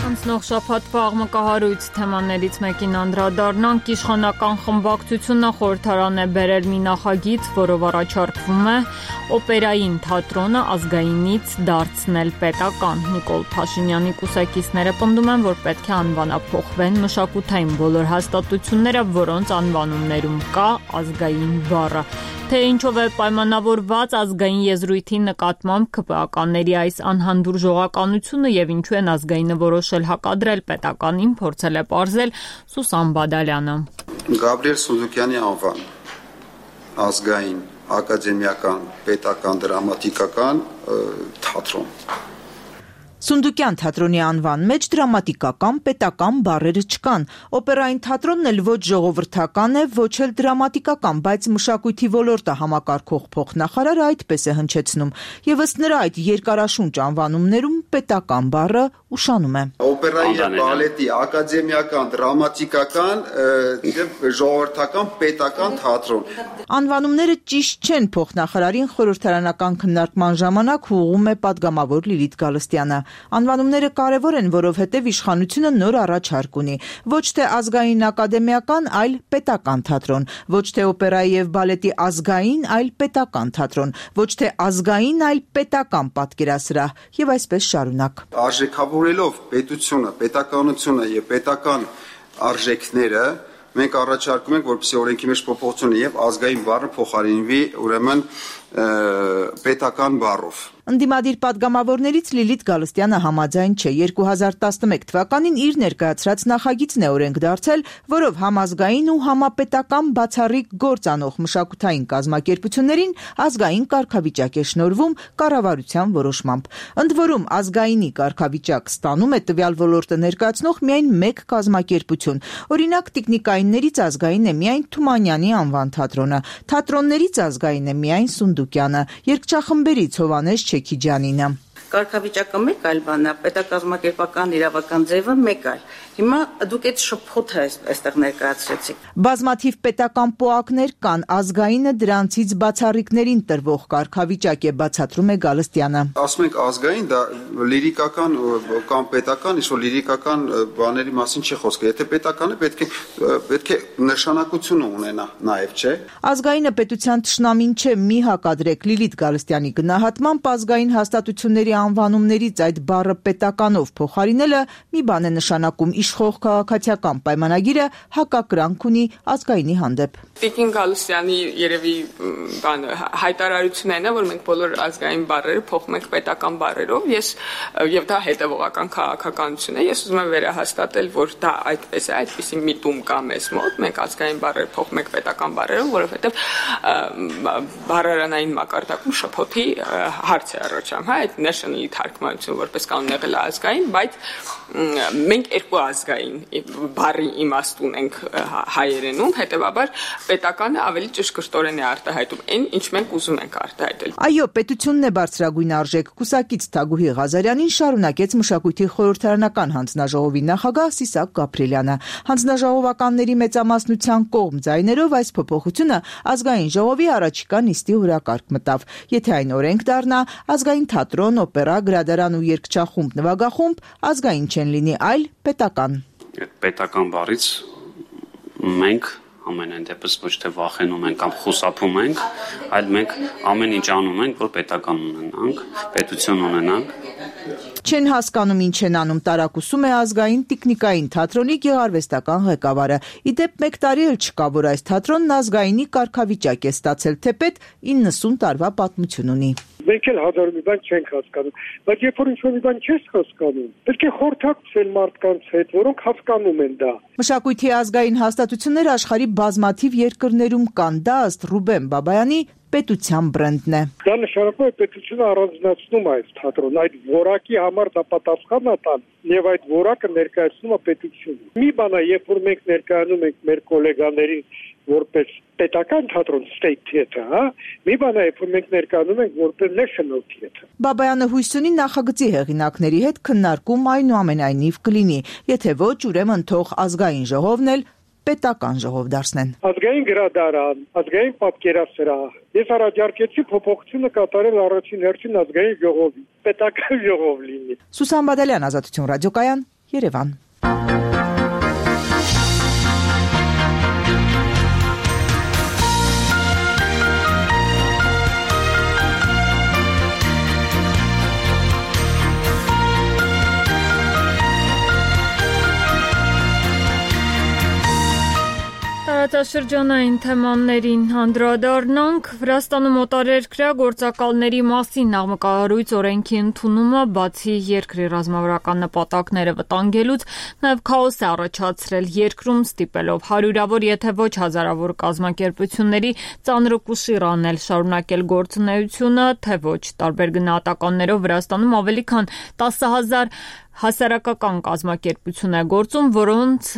Անցնող շաբաթվա աղմկահարույց թեմաներից մեկին անդրադառնանք, իշխանական խմբակցությունը խորհրդարան է բերել մի նախագիծ, որով առաջարկվում է օպերային թատրոնը ազգայինից դարձնել պետական։ Նիկոլ Փաշինյանի կուսակիցները պնդում են, որ պետք է անվանափոխվեն մշակութային բոլոր հաստատությունները, որոնց անվանումներում կա ազգային բառը։ Թե ինչով է պայմանավորված ազգային եզրույթի նկատմամբ ՔՊԱ-կանների այս անհանդուրժողականությունը եւ ինչու են ազգայինը որոշել հակադրել պետականին, փորձել է պարզել Սուսան Բադալյանը։ Գաբրիել Սունդուկյանի անվան ազգային, ակադեմիական, պետական, դրամատիկական թատրոն։ Սունդուկյան թատրոնի անվան մեջ դրամատիկական, պետական բառերը չկան։ Օպերային թատրոնն էլ ոչ ժողովրդական է, ոչ էլ դրամատիկական, բայց մշակույթի ոլորտը համակարգող փոխնախարարը այդպես է հնչեցնում։ Եվ ըստ նրա այդ երկարաշունչ անվանումներում պետական բառը ուշանում է։ Օպերայի եւ բալետի ակադեմիական, դրամատիկական եւ ժողովրդական, պետական թատրոն։ Անվանումները ճիշտ չեն, փոխնախարարին խորհրդարանական քննարկման ժամանակ ուղղում է падգամավոր Լիլիթ Գալստյանը։ Անվանումները կարևոր են, որովհետև իշխանությունը նոր առաջարկ ունի։ Ոչ թե ազգային ակադեմիական, այլ պետական թատրոն, ոչ թե օպերայի եւ բալետի ազգային, այլ պետական թատրոն, ոչ թե ազգային, այլ պետական պատկերասրահ եւ այսպես շարունակ։ Արժեքավորելով պետությունը, պետականությունը եւ պետական արժեքները մենք առաջարկում ենք, որպեսզի օրենքի մեջ փոփոխություն եւ ազգային բառը փոխարինվի ուրեմն պետական բառով։ Ընդդիմադիր падգամավորներից Լիլիթ Գալստյանը համաձայն չէ։ երկու հազար տասնմեկ թվականին իր ներկայացրած նախագիծն է օրենք դարձել, որով համազգային ու համապետական բացառիկ գործ անող մշակութային կազմակերպություններին ազգային կարգավիճակ է շնորհվում կառավարության որոշմամբ։ Ընդ որում ազգայինի կարգավիճակ ստանում է տվյալ ոլորտը ներկայացնող միայն մեկ կազմակերպություն։ Օրինակ տիկնիկայիններից ազգային է միայն Թումանյանի անվան թատրոնը, թատրոններից ազգային է միայն Սունդուկյանը, երգչախմբերից Հովհաննես Չեքիջյանինը։ Կարգավիճակը մեկ այլ բան է, պետակազմակերպական իրավական ձևը մեկ այլ։ Հիմա դուք այդ շփոթը այստեղ ներկայացրեցիք։ Բազմաթիվ պետական պոակներ կան, ազգայինը դրանցից բացառիկներին տրվող կարգավիճակ է, բացատրում է Գալստյանը։ Ասում ենք ազգային, դա լիրիկական կամ պետական, ինչ որ լիրիկական բաների մասին չի խոսքը։ Եթե պետական է, պետք է պետք է նշանակություն ունենա նաև, չէ՞։ Ազգայինը պետության թշնամին չէ, մի հակադրեք Լիլիթ Գալստյանի գնահատմամբ ազգային հաստատությունների անվանումներից այդ բառը պետականով փոխարինելը մի բան է նշանակում իշխող քաղաքացիական պայմանագիրը հակակրանք ունի ազգայինի հանդեպ։ Տիկին Գալուսյանի երևի բան հայտարարությունն է, որ մենք բոլոր ազգային բառերը փոխում ենք պետական բառերով, ես եւ դա հետեւողական քաղաքականություն է։ Ես ուզում եմ վերահաստատել, որ դա այդպես է, այդպիսի միտում կա մեզ մոտ, մենք ազգային բառերը փոխում ենք պետական բառերով, որովհետեւ բառարանային մակարդակում շփոթի հարց է առաջանում, հա, այդ national-ի թարգմանությունը որպես կանոն եղել է ազգային, բայց մենք երկու ազգային բառի իմաստ ունենք հայերենում, հետեւաբար պետականը ավելի ճշգրտորեն է արտահայտում այն, ինչ մենք ուզում ենք արտահայտել։ Այո, պետությունն է բարձրագույն արժեք։ Կուսակից Թագուհի Ղազարյանին շարունակեց մշակույթի խորհրդարանական հանձնաժողովի նախագահ Սիսակ Գաբրելյանը։ Հանձնաժողովականների մեծամասնության կողմ ձայներով այս փոփոխությունը ազգային ժողովի առաջիկա նիստի օրակարգ մտավ։ Եթե այն օրենք դառնա, ազգային թատրոն, օպերա, գրադարան ու երգչախումբ, նվագախումբ ազգային չեն լինի, այլ պետական։ Պետական բառից մենք ամենայն դեպս ոչ թե վախենում ենք կամ խուսափում ենք, այլ մենք ամեն ինչ անում ենք, որ պետական ունենանք, պետություն ունենանք։ Չեն հասկանում ինչ են անում, տարակուսում է ազգային տիկնիկային թատրոնի գեղարվեստական ղեկավարը։ Իդեպ մեկ տարի էլ չկա, որ այս թատրոնն ազգայինի կարգավիճակ է ստացել, թեպետ իննսուն տարվա պատմություն ունի։ Մենք էլ հազար մի բան չենք հասկանում, բայց երբ որ ինչ-որ մի բան չես հասկանում, պետք է խորհրդակցել մարդկանց հետ, որոնք հասկանում են դա։ Մշակույթի ազգային հաստատությունները աշխարհի բազմաթիվ երկրներում կան, դա ըստ Ռուբեն Բաբայանի պետության բրենդն է։ Դա նշանակում է պետությունը առանձնացնում է այս թատրոնը, այդ որակի համար դա պատասխան է տան եւ այդ որակը ներկայացնում է պետությունը։ Մի բան է, երբ որ մենք ներկայանում ենք մեր գոլեգաներին որպես պետական թատրոն state theater, հա, մի բան է, երբ որ մենք ներկայանում ենք որպես national theater։ Բաբայանը հույս ունի նախագծի հեղինակների հետ քննարկում այնուամենայնիվ կլինի, եթե ոչ, ուրեմն թող ազգային ժողովն էլ պետական ժողով դարձնեն։ Ազգային գրադարան, ազգային պատկերասրահ։ Ես առաջարկեցի փոփոխությունը կատարել առաջին հերթին ազգային ժողովի, պետական ժողով լինի։ Սուսան Բադալյան, Ազատություն ռադիոկայան, Երևան։ Տարածաշրջանային թեմաներին անդրադառնանք։ Վրաստանում օտարերկրյա գործակալների մասին նախագահարույց օրենքի ընդունումը բացի երկրի ռազմավարական նպատակները վտանգելուց, նաև քաոս է առաջացրել երկրում, ստիպելով հարյուրավոր, եթե ոչ հազարավոր կազմակերպությունների ծանրուկուշիռ անել, շարունակել գործունեությունը, թե ոչ տարբեր գնահատականներով Վրաստանում ավելի քան տասը հազար հասարակական կազմակերպություն է գործում, որոնց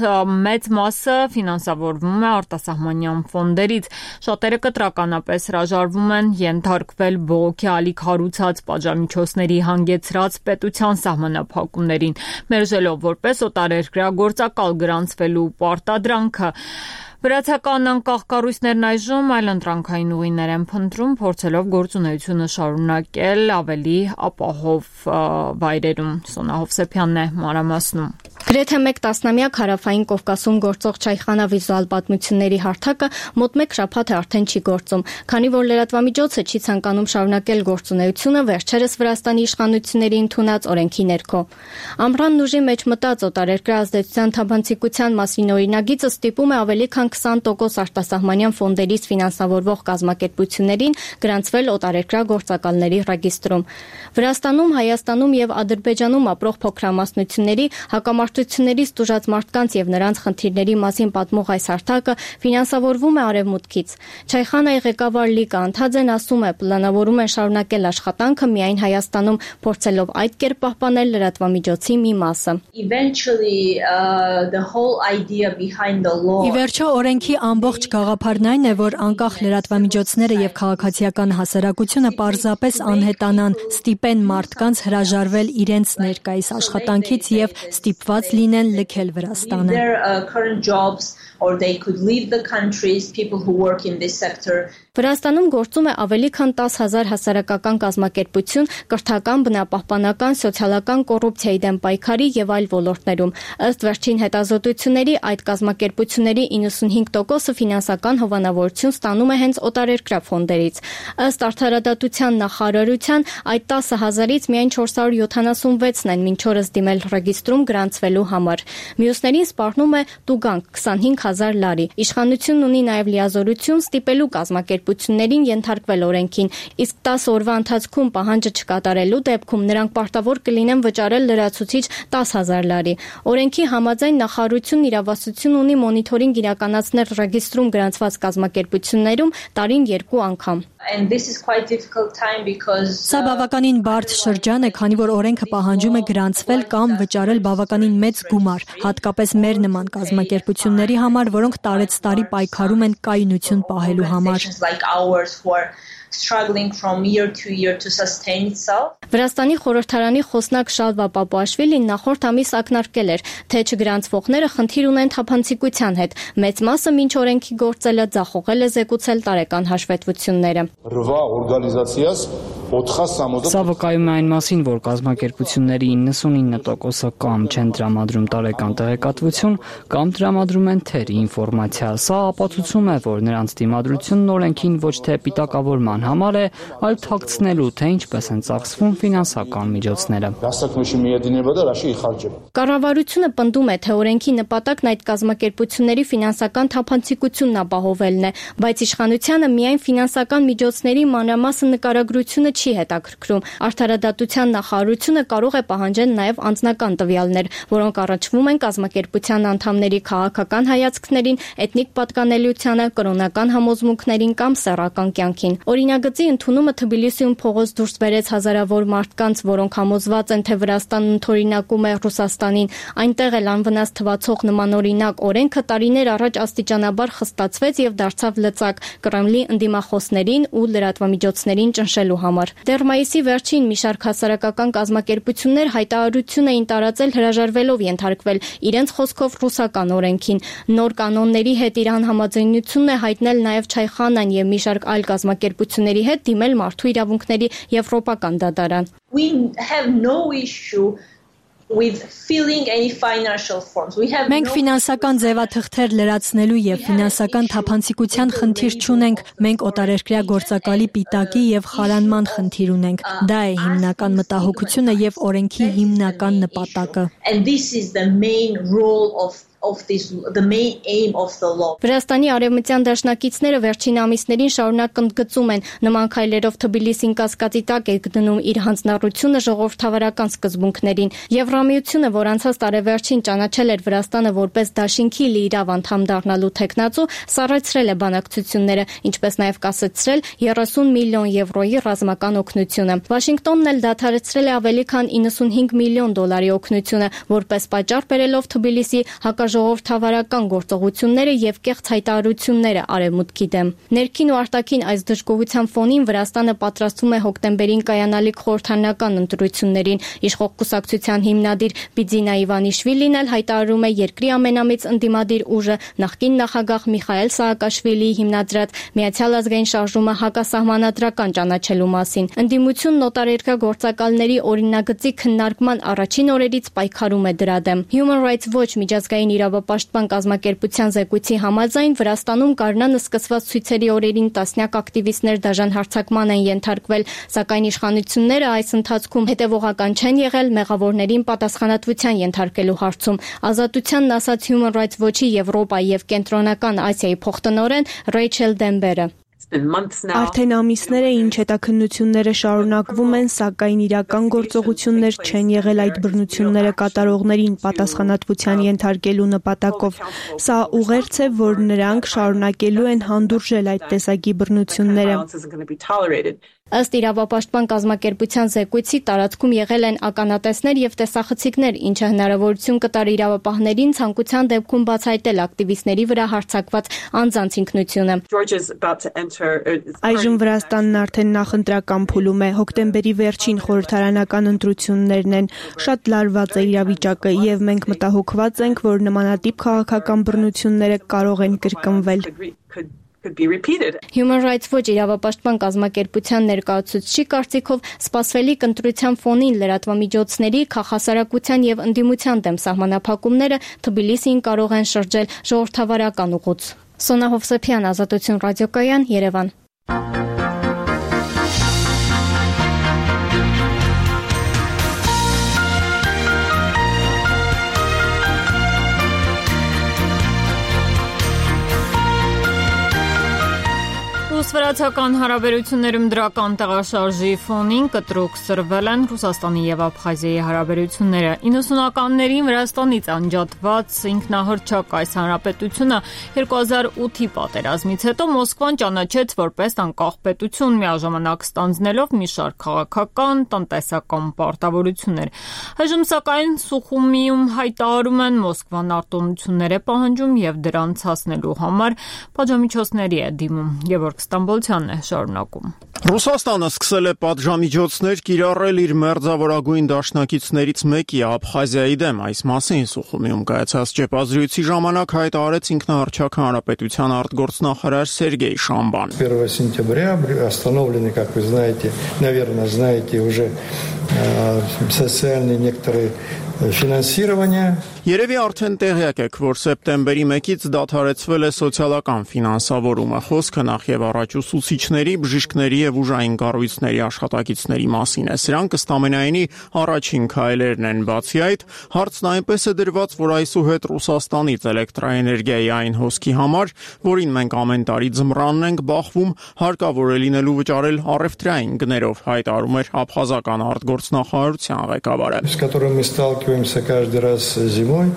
մեծ մասը ֆինանսավորվում է արտասահմանյան ֆոնդերից։ Շատերը կտրականապես հրաժարվում են ենթարկվել բողոքի ալիք հարուցած պատժամիջոցների հանգեցրած պետության սահմանափակումներին, մերժելով որպես օտարերկրյա գործակալ գրանցվելու պարտադրանքը։ Վրացական անկախ կառույցներն այժմ այլընտրանքային ուղիներ են փնտրում, փորձելով գործունեությունը շարունակել ավելի ապահով վայրերում։ Սոնա Հովսեփյանն է մանրամասնում։ Գրեթե մեկ տասնամյակ Հարավային Կովկասում գործող Չայխանա վիզուալ պատմությունների հարթակը մոտ մեկ շաբաթ է արդեն չի գործում, քանի որ լրատվամիջոցը չի ցանկանում շարունակել գործունեությունը վերջերս Վրաստանի իշխանությունների ընդունած օրենքի ներքո։ Ամռանն ուժի մեջ մտած օտարերկրյա ազդեցության թափանցիկության մասին օրինագիծը ստիպում է ավելի քան քսան տոկոս արտասահմանյան ֆոնդերից ֆինանսավորվող կազմակերպություններին գրանցվել օտարերկրյա գործակալների ռեգիստրում։ Վրաստանում, Հայաստանում եւ Ադրբեջանում ապրող փոքրամասնությունների հակամարտություններից տուժած մարդկանց եւ նրանց խնդիրների մասին պատմող այս հարթակը ֆինանսավորվում է արևմուտքից։ Չայխանայի ղեկավար Լիկա Անթաձեն ասում է, պլանավորում են շարունակել աշխատանքը միայն Հայաստանում, փորձելով այդ կերպ պահպանել լրատվամիջոցի մի մասը։ Ի վերջո օրենքի ամբողջ գաղափարն այն է, որ անկախ լրատվամիջոցները եւ քաղաքացիական հասարակությունը պարզապես անհետանան, ստիպեն մարդկանց հրաժարվել իրենց ներկայիս աշխատանքից եւ ստիպված լինեն լքել Վրաստանը։ Վրաստանում գործում է ավելի քան տասը հազար հասարակական կազմակերպություն կրթական, բնապահպանական, սոցիալական կոռուպցիայի դեմ պայքարի եւ այլ ոլորտներում։ Ըստ վերջին հետազոտությունների այդ կազմակերպությունների իննսուն ութսունհինգ տոկոսը ֆինանսական հովանավորություն ստանում է հենց օտարերկրյա ֆոնդերից։ Ըստ Արդարադատության նախարարության, այդ տասը հազարից միայն չորս հարյուր յոթանասունվեցն են մինչ օրս դիմել ռեգիստրում գրանցվելու համար։ Մյուսներին սպառնում է տուգանք քսանհինգ հազար լարի։ Իշխանությունն ունի նաև լիազորություն ստիպելու կազմակերպություններին ենթարկվել օրենքին, իսկ տասը օրվա ընթացքում պահանջը չկատարելու դեպքում նրանք պարտավոր կլինեն վճարել լրացուցիչ տասը հազար լարի։ Օրենքի համաձայն նախարարությունն իրավասություն ունի մոնիթորինգ իրականացնել ռեգիստրում գրանցված կազմակերպություններում տարին երկու անգամ։ Սա բավականին բարդ շրջան է, քանի որ օրենքը պահանջում է գրանցվել կամ վճարել բավականին մեծ գումար, հատկապես մեր նման կազմակերպությունների համար, որոնք տարեցտարի պայքարում են կայունություն պահելու համար։ struggling from year to year to sustain itself. Վրաստանի խորհրդարանի խոսնակ Շալվա Պապուաշվիլին նախորդ ամիս ակնարկել էր, թե չգրանցվողները խնդիր ունեն թափանցիկության հետ։ Մեծ մասը մինչ օրենքի գործելը ձախողել է զեկուցել տարեկան հաշվետվությունները։ Սա վկայում է այն մասին, որ կազմակերպությունների իննսունինը տոկոսը կամ չեն տրամադրում տարեկան տեղեկատվություն, կամ տրամադրում են թերի ինֆորմացիա։ Սա ապացուցում է, որ նրանց դիմադրությունն օրենքին ոչ թե պիտակավորման համար է, այլ թաքցնելու, թե ինչպես են ծախսվում ֆինանսական միջոցները։ Կառավարությունը պնդում է, թե օրենքի նպատակն այդ կազմակերպությունների ֆինանսական թափանցիկությունն ապահովելն է, բայց իշխանությանը միայն ֆինանսական միջոցների մանրամասն նկարագրությունը չի հետաքրքրում։ Արդարադատության նախարարությունը կարող է պահանջել նաև անձնական տվյալներ, որոնք առնչվում են կազմակերպության անդամների քաղաքական հայացքներին, էթնիկ պատկանելիությանը, կրոնական համոզմունքներին կամ սեռական կյանքին։ Օրինագծի ընդունումը Թբիլիսիում փողոց դուրս բերեց հազարավոր մարդկանց, որոնք համոզված են, թե Վրաստանն ընդօրինակում է Ռուսաստանին։ Այնտեղ էլ անվնաս թվացող նմանօրինակ օրենքը տարիներ առաջ աստիճանաբար խստացվեց եւ դարձավ լծակ Կրեմլի ընդդիմախոսներին ու լրատվամիջոցներին ճնշելու համար։ Դեռ մայիսի վերջին մի շարք հասարակական կազմակերպություններ հայտարարություն էին տարածել հրաժարվելով ենթարկվել իրենց խոսքով ռուսական օրենքին։ Նոր կանոնների հետ իր անհամաձայնությունն է հայտնել նաև Չայխանան եւ մի շարք այլ կազմակերպությունների հետ դիմել մարդու իրավունքների եվրոպական դատարան։ We have no issue with filling any financial forms. We have Մենք ֆինանսական ձևաթղթեր լրացնելու եւ ֆինանսական թափանցիկության խնդիր չունենք։ Մենք օտարերկրյա գործակալի պիտակի եւ խարանման խնդիր ունենք։ Դա է հիմնական մտահոգությունը եւ օրենքի հիմնական նպատակը։ And this is the main role of of this the main aim of the law. Վրաստանի արևմտյան դաշնակիցները վերջին ամիսներին շարունակ ընդգծում են նման քայլերով Թբիլիսին կասկածի տակ է գտնում իր հանձնառությունը ժողովրդավարական սկզբունքներին։ Եվրամիությունը, որ անցած տարեվերջին ճանաչել էր Վրաստանը որպես դաշինքի լիիրավ անդամ դառնալու թեկնածու, սառեցրել է բանակցությունները, ինչպես նաև կասեցրել երեսուն միլիոն եվրոյի ռազմական օգնությունը։ Վաշինգտոնն էլ դադարեցրել է ավելի քան իննսունհինգ միլիոն դոլարի օգնությունը, որպես պատճառ բերելով Թբիլիսի հակաժողովրդավարական գործողությունները եւ կեղծ հայտարարությունները արևմուտքի դեմ։ Ներքին ու արտաքին այս դժգոհության ֆոնին Վրաստանը պատրաստվում է հոկտեմբերին կայանալիք խորհրդարանական ընտրություններին։ Իշխող կուսակցության հիմնադիր Բիձինա Իվանիշվիլին էլ հայտարարում է երկրի ամենամեծ ընդդիմադիր ուժը նախկին նախագահ Միխայել Սաակաշվիլիի հիմնադրած Միացյալ ազգային շարժումը հակասահմանադրական ճանաչելու մասին։ Ընդդիմությունն օտարերկրյա գործակալների օրինագծի քննարկման առաջին օրերից պայքարում է դրա դեմ։ Human Rights Watch միջազգային իրավապաշտպան կազմակերպության զեկույցի համաձայն Վրաստանում գարնանը սկսված ցույցերի օրերին տասնյակ ակտիվիստներ դաժան հարձակման են ենթարկվել, սակայն իշխանությունները այս ընթացքում հետևողական չեն եղել մեղավորներին պատասխանատվության ենթարկելու հարցում։ Ազատությանն ասաց Human Rights Watch-ի Եվրոպայի եւ Կենտրոնական Ասիայի փոխտնօրեն Ռեյչել Դեմբերը։ Արդեն ամիսներ է ինչ հետաքննությունները շարունակվում են, սակայն իրական գործողություններ չեն եղել այդ բռնությունները կատարողներին պատասխանատվության ենթարկելու նպատակով։ Սա ուղերձ է, որ նրանք շարունակելու են հանդուրժել այդ տեսակի բռնությունները։ Ըստ իրավապաշտպան կազմակերպության զեկույցի տարածքում եղել են ականատեսներ եւ տեսախցիկներ, ինչը հնարավորություն կտար իրավապահներին ցանկության դեպքում բացահայտել ակտիվիստների վրա հարձակված անձանց ինքնությունը։ Այժմ Վրաստանն արդեն նախընտրական փուլում է, հոկտեմբերի վերջին խորհրդարանական ընտրություններն են, շատ լարված է իրավիճակը եւ մենք մտահոգված ենք, որ նմանատիպ քաղաքական բռնությունները կարող են կրկնվել։ Human Rights Watch իրավապաշտպան կազմակերպության ներկայացուցչի կարծիքով սպասվելիք ընտրության ֆոնին լրատվամիջոցների, քաղաքասարակության եւ ընդդիմության դեմ սահմանափակումները Թբիլիսին կարող են շրջել ժողովրդավարական ուղուց։ Սոնա Հովսեփյան, Ազատություն ռադիոկայան, Երևան։ Ռուս-վրացական հարաբերություններում դրական տեղաշարժի ֆոնին կտրուկ սրվել են Ռուսաստանի եւ Աբխազիայի հարաբերությունները։ իննսունականներին Վրաստանից անջատված ինքնահռչակ այս հանրապետությունը երկու հազար ութի պատերազմից հետո Մոսկվան ճանաչեց որպես անկախ պետություն, միաժամանակ ստանձնելով մի շարք քաղաքական, տնտեսական պարտավորություններ։ Այժմ սակայն Սուխումիում հայտարարում են Մոսկվան արտոնություններ է պահանջում եւ դրանց հասնելու համար պատժամիջոցների է դիմում։ Գևորգ Ստամբոլցյանն է շարունակում։ Ռուսաստանը սկսել է պատժամիջոցներ կիրառել իր մերձավորագույն դաշնակիցներից մեկի Աբխազիայի դեմ։ Այս մասին Սուխումիում կայացած ճեպազրույցի ժամանակ հայտարարեց ինքնահռչակ հանրապետության արտգործնախարար Սերգեյ Շամբան։ первого сентября остановлены, как вы знаете, наверное, знаете уже социальные некоторые ֆինանսирование Երևի արդեն տեղյակ եք, որ սեպտեմբերի մեկից դադարեցվել է սոցիալական ֆինանսավորումը։ Խոսքը նախ եւ առաջ ուսուցիչների, բժիշկների եւ ուժային կառույցների աշխատակիցների մասին է։ Սրանք ըստ ամենայնի առաջին քայլերն են։ Բացի այդ, հարցն այնպես է դրված, որ այսուհետ Ռուսաստանից էլեկտրաէներգիայի այն հոսքի համար, որին մենք ամեն տարի ձմռանն ենք բախվում, հարկավոր է լինելու վճարել առևտրային գներով, հայտարարում էր աբխազական արտգործնախարարության ղեկավարը։ Каждый раз зимой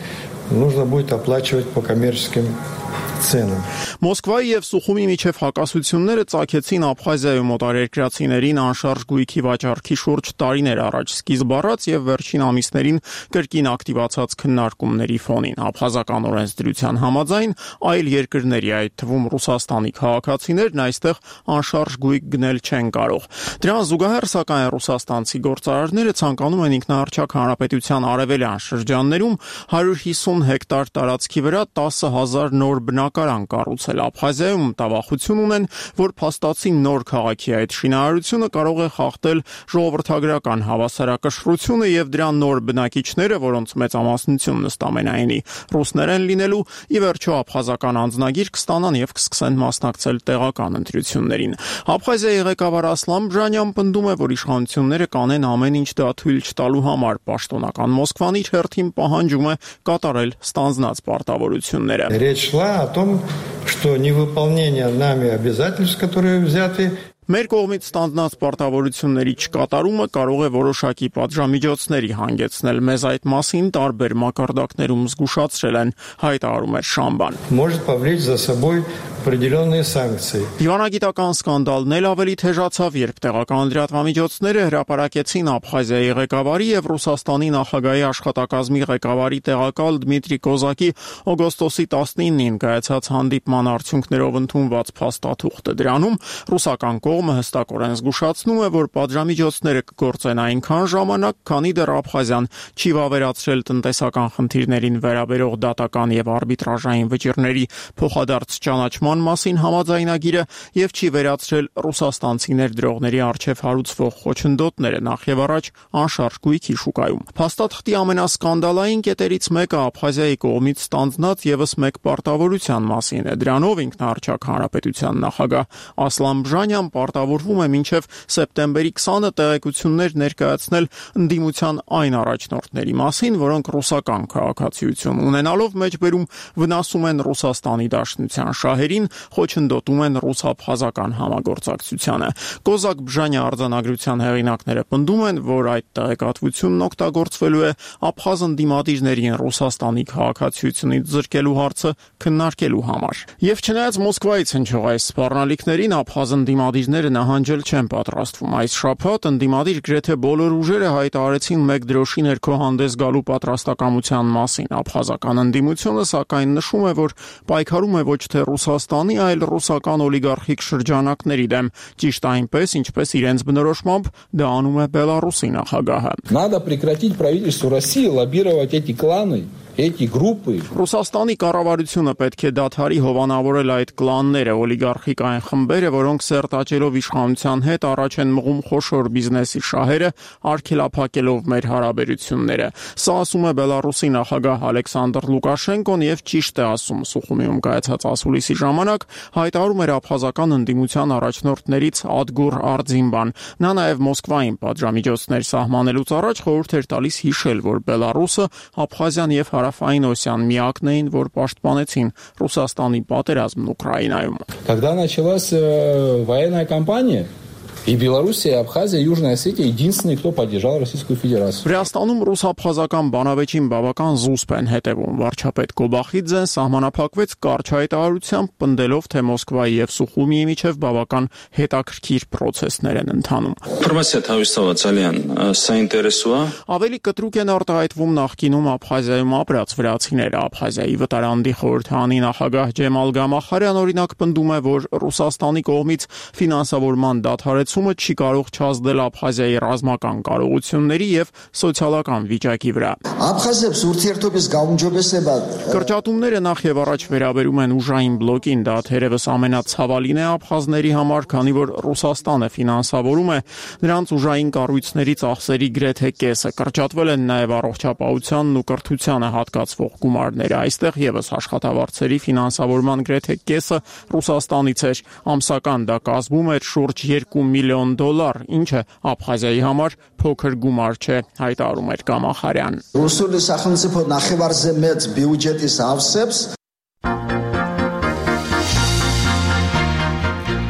нужно будет оплачивать по коммерческим ценам. Մոսկվայի եւ Սուխումի միջև հակասությունները ծագեցին Աբխազիայում օտարերկրացիներին անշարժ գույքի վաճառքի շուրջ տարիներ առաջ սկիզբ առած եւ վերջին ամիսներին կրկին ակտիվացած քննարկումների ֆոնին։ Աբխազական օրենսդրության համաձայն այլ երկրների, այդ թվում Ռուսաստանի քաղաքացիներն այստեղ անշարժ գույք գնել չեն կարող։ Դրան զուգահեռ սակայն ռուսաստանցի գործարարները ցանկանում են ինքնահռչակ հանրապետության արևելյան շրջաններում հարյուր հիսուն հեկտար տարածքի վրա տասը հազար նոր բնակարան կառուցել։ Աբխազիայում տավախություն ունեն, որ փաստացի նոր քաղաքի այդ շինարարությունը կարող է խախտել ժողովրդագրական հավասարակշռությունը եւ դրա նոր բնակիչները, որոնց մեծամասնությունն ըստ ամենայնի ռուսներ են լինելու, ի վերջո աբխազական անձնագիր կստանան եւ կսկսեն մասնակցել տեղական ընտրություններին։ Աբխազիայի ղեկավար Ասլան Բժանյան պնդում է, որ իշխանությունները կանեն ամեն ինչ դա թույլ չտալու համար։ Պաշտոնական Մոսկվան իր հերթին պահանջում է կատարել ստանձնած պարտավորությունները։ Речь шла о том, что невыполнение нами обязательств, которые взяты Մեր կողմից ստանձնած պարտավորությունների չկատարումը կարող է որոշակի պատժամիջոցների հանգեցնել։ Մեզ այդ մասին տարբեր մակարդակներում զգուշացրել են, հայտարարում էր Շամբան։ Может повлечь за собой определенные санкции։ Դիվանագիտական սկանդալն էլ ավելի թեժացավ, երբ տեղական լրատվամիջոցները հրապարակեցին Աբխազիայի ղեկավարի եւ Ռուսաստանի նախագահի աշխատակազմի ղեկավարի տեղակալ Դմիտրի Կոզակի օգոստոսի տասնինին կայացած հանդիպման արդյունքներով ընդունված փաստաթուղթը։ Դրանում ռուսական կողմը հստակորեն զգուշացնում է, որ պատժամիջոցները կգործեն այնքան ժամանակ, քանի դեռ Աբխազիան չի վավերացրել տնտեսական խնդիրներին վերաբերող դատական եւ արբիտրաժային վճիռների փոխադարձ ճանաչման մասին համաձայնագիրը եւ չի վերացրել ռուսաստանցի ներդրողների արչեւ հարուցվող խոչընդոտները նախ եւ առաջ անշարժ գույքի շուկայում։ Փաստաթղթի ամենասկանդալային կետերից մեկը Աբխազիայի կողմից ստանձնած եւս մեկ պարտավորության մասին է։ Դրանով ինքնահռչակ հանրապետության նախագահ Ասլան Բժանյան պարտավորվում է մինչև սեպտեմբերի քսանը տեղեկություններ ներկայացնել ընդդիմության այն առաջնորդների մասին, որոնք ռուսական քաղաքացիություն ունենալով մեջբերում վնասում են Ռուսաստանի Դաշնության շահերին, խոչընդոտում են ռուս-աբխազական համագործակցությանը։ Կոզակ Բժանի արձանագրության հեղինակները պնդում են, որ այդ տեղեկատվությունն օգտագործվելու է աբխազ ընդդիմադիրներին Ռուսաստանի քաղաքացիությունից զրկելու հարցը քննարկելու համար։ Եվ չնայած Մոսկվայից հնչող այս սպառնալիքներին, աբխազ ընդդիմադիրները նահանջել չեն պատրաստվում։ Այս շաբաթ ընդդիմադիր գրեթե բոլոր ուժերը հայտարարեցին մեկ դրոշի ներքո հանդես գալու պատրաստակամության մասին։ Աբխազական ընդդիմությունը սակայն նշում է, որ պայքարում է ոչ թե Ռուսաստանի, այլ ռուսական օլիգարխիկ շրջանակների դեմ, ճիշտ այնպես, ինչպես իրենց բնորոշմամբ դա անում է Բելարուսի նախագահը։ Надо прекратить правительству России лоббировать эти кланы эти группы. Ռուսաստանի կառավարությունը պետք է դադարի հովանավորել այդ կլանները, օլիգարխիկ այն խմբերը, որոնք սերտաճելով իշխանության հետ առաջ են մղում խոշոր բիզնեսի շահերը, արգելափակելով մեր հարաբերությունները։ Սա ասում է Բելարուսի նախագահ Ալեքսանդր Լուկաշենկոն եւ ճիշտ է ասում Սուխումիում կայացած ասուլիսի ժամանակ, հայտարարում էր աբխազական ընդդիմության առաջնորդներից Ադգուր Արձինբան։ Նա նաեւ Մոսկվային պատժամիջոցներ սահմանելուց առաջ խորհուրդ էր տալիս հիշել, որ Բելարուսը, Աբխազիան եւ Հարավային Օսիան միակն էին, որ պաշտպանեցին Ռուսաստանի պատերազմն Ուկրաինայում։ Когда началась военная кампания, и Белоруссия, Абхазия, Южная Осетия единственные, кто поддержал Российскую Федерацию. Վրաստանում ռուս-աբխազական բանավեճին բավական զուսպ են հետևում։ Վարչապետ Կոբախիձեն սահմանափակվեց կարճ հայտարարությամբ, պնդելով, թե Մոսկվայի եւ Սուխումիի միջև բավական հետաքրքիր process-ներ են ընթանում։ Ավելի կտրուկ են արտահայտվում նախկինում Աբխազիայում ապրած վրացիները։ Աբխազիայի վտարանդի խորհրդանի նախագահ Ջեմալ Գամախարյան օրինակ պնդում է, որ Ռուսաստանի կողմից ֆինանսավորման դադարեցումը չի կարող չազդել Աբխազիայի ռազմական կարողությունների եւ սոցիալական վիճակի վրա։ Կրճատումները նախ եւ առաջ վերաբերում են ուժային բլոկին, դա թերևս ամենացավալին է աբխազների համար, քանի որ Ռուսաստանը ֆինանսավորում է նրանց ուժային կառույցների ծախսերի գրեթե կեսը։ Կրճատվել են նաեւ առողջապահությանն ու կրթությանը հատկացվող գումարները։ Այստեղ եւս աշխատավարձերի ֆինանսավորման գրեթե կեսը Ռուսաստանից էր։ Ամսական դա կազմում էր շուրջ երկու միլիոն դոլար, ինչը Աբխազիայի համար փոքր գումար չէ, հայտարարում էր Կամախարյան։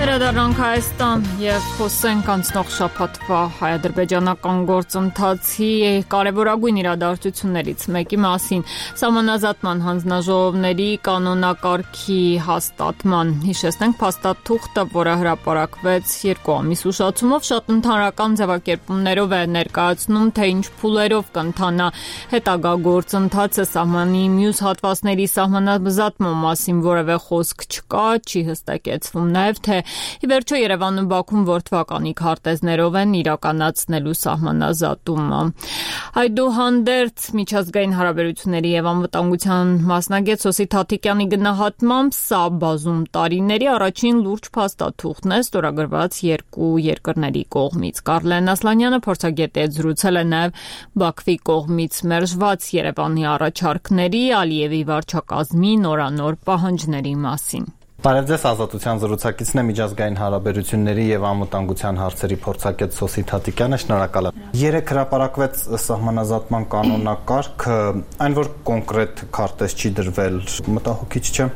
Վերադառնանք Հայաստան եւ խոսենք անցնող շաբաթվա հայ-ադրբեջանական գործընթացի կարևորագույն իրադարձություններից մեկի մասին՝ սահմանազատման հանձնաժողովների կանոնակարգի հաստատման։ Հիշեցնենք, փաստաթուղթը, որը հրապարակվեց երկու ամիս ուշացումով, շատ ընդհանրական ձևակերպումներով է ներկայացնում, թե ինչ փուլերով կընթանա հետագա գործընթացը։ Սահմանի մյուս հատվածների սահմանազատման մասին որևէ խոսք չկա, չի հստակեցվում նաեւ, թե ի վերջո Երևանում Բաքուն որ թվականի քարտեզներով են իրականացնելու սահմանազատումը։ Այդուհանդերձ միջազգային հարաբերությունների եւ անվտանգության մասնագետ Սոսի Թաթիկյանի գնահատմամբ սա բազում տարիների առաջին լուրջ փաստաթուղթն է ստորագրված երկու երկրների կողմից։ Կարլեն Ասլանյանը փորձագետի հետ զրուցել է նաեւ Բաքվի կողմից մերժված Երևանի առաջարկների, Ալիևի վարչակազմի նորանոր պահանջների մասին։ Բարև ձեզ, Ազատության զրուցակիցն է միջազգային հարաբերությունների եւ անվտանգության հարցերի փորձագետ Սոսի Թաթիկյանը, շնորհակալ եմ։ Երեք հրապարակվեց սահմանազատման կանոնակարգը, այն որ կոնկրետ քարտեզ չի դրվել, մտահոգիչ չէ։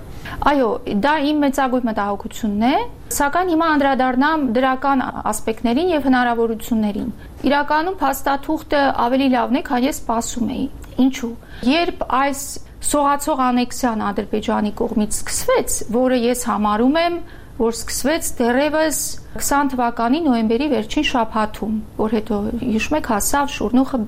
Այո, դա իմ մեծագույն մտահոգությունն է, սակայն հիմա անդրադառնամ դրական ասպեկտներին եւ հնարավորություններին։ Իրականում փաստաթուղթը ավելի լավն է, քան ես սպասում էի։ Ինչու՞։ Երբ այս սողացող անեքսիան Ադրբեջանի կողմից սկսվեց, որը ես համարում եմ, որ սկսվեց դեռևս քսան թվականի նոյեմբերի վերջին շաբաթում, որ հետո հիշում եք հասավ շուրնուխը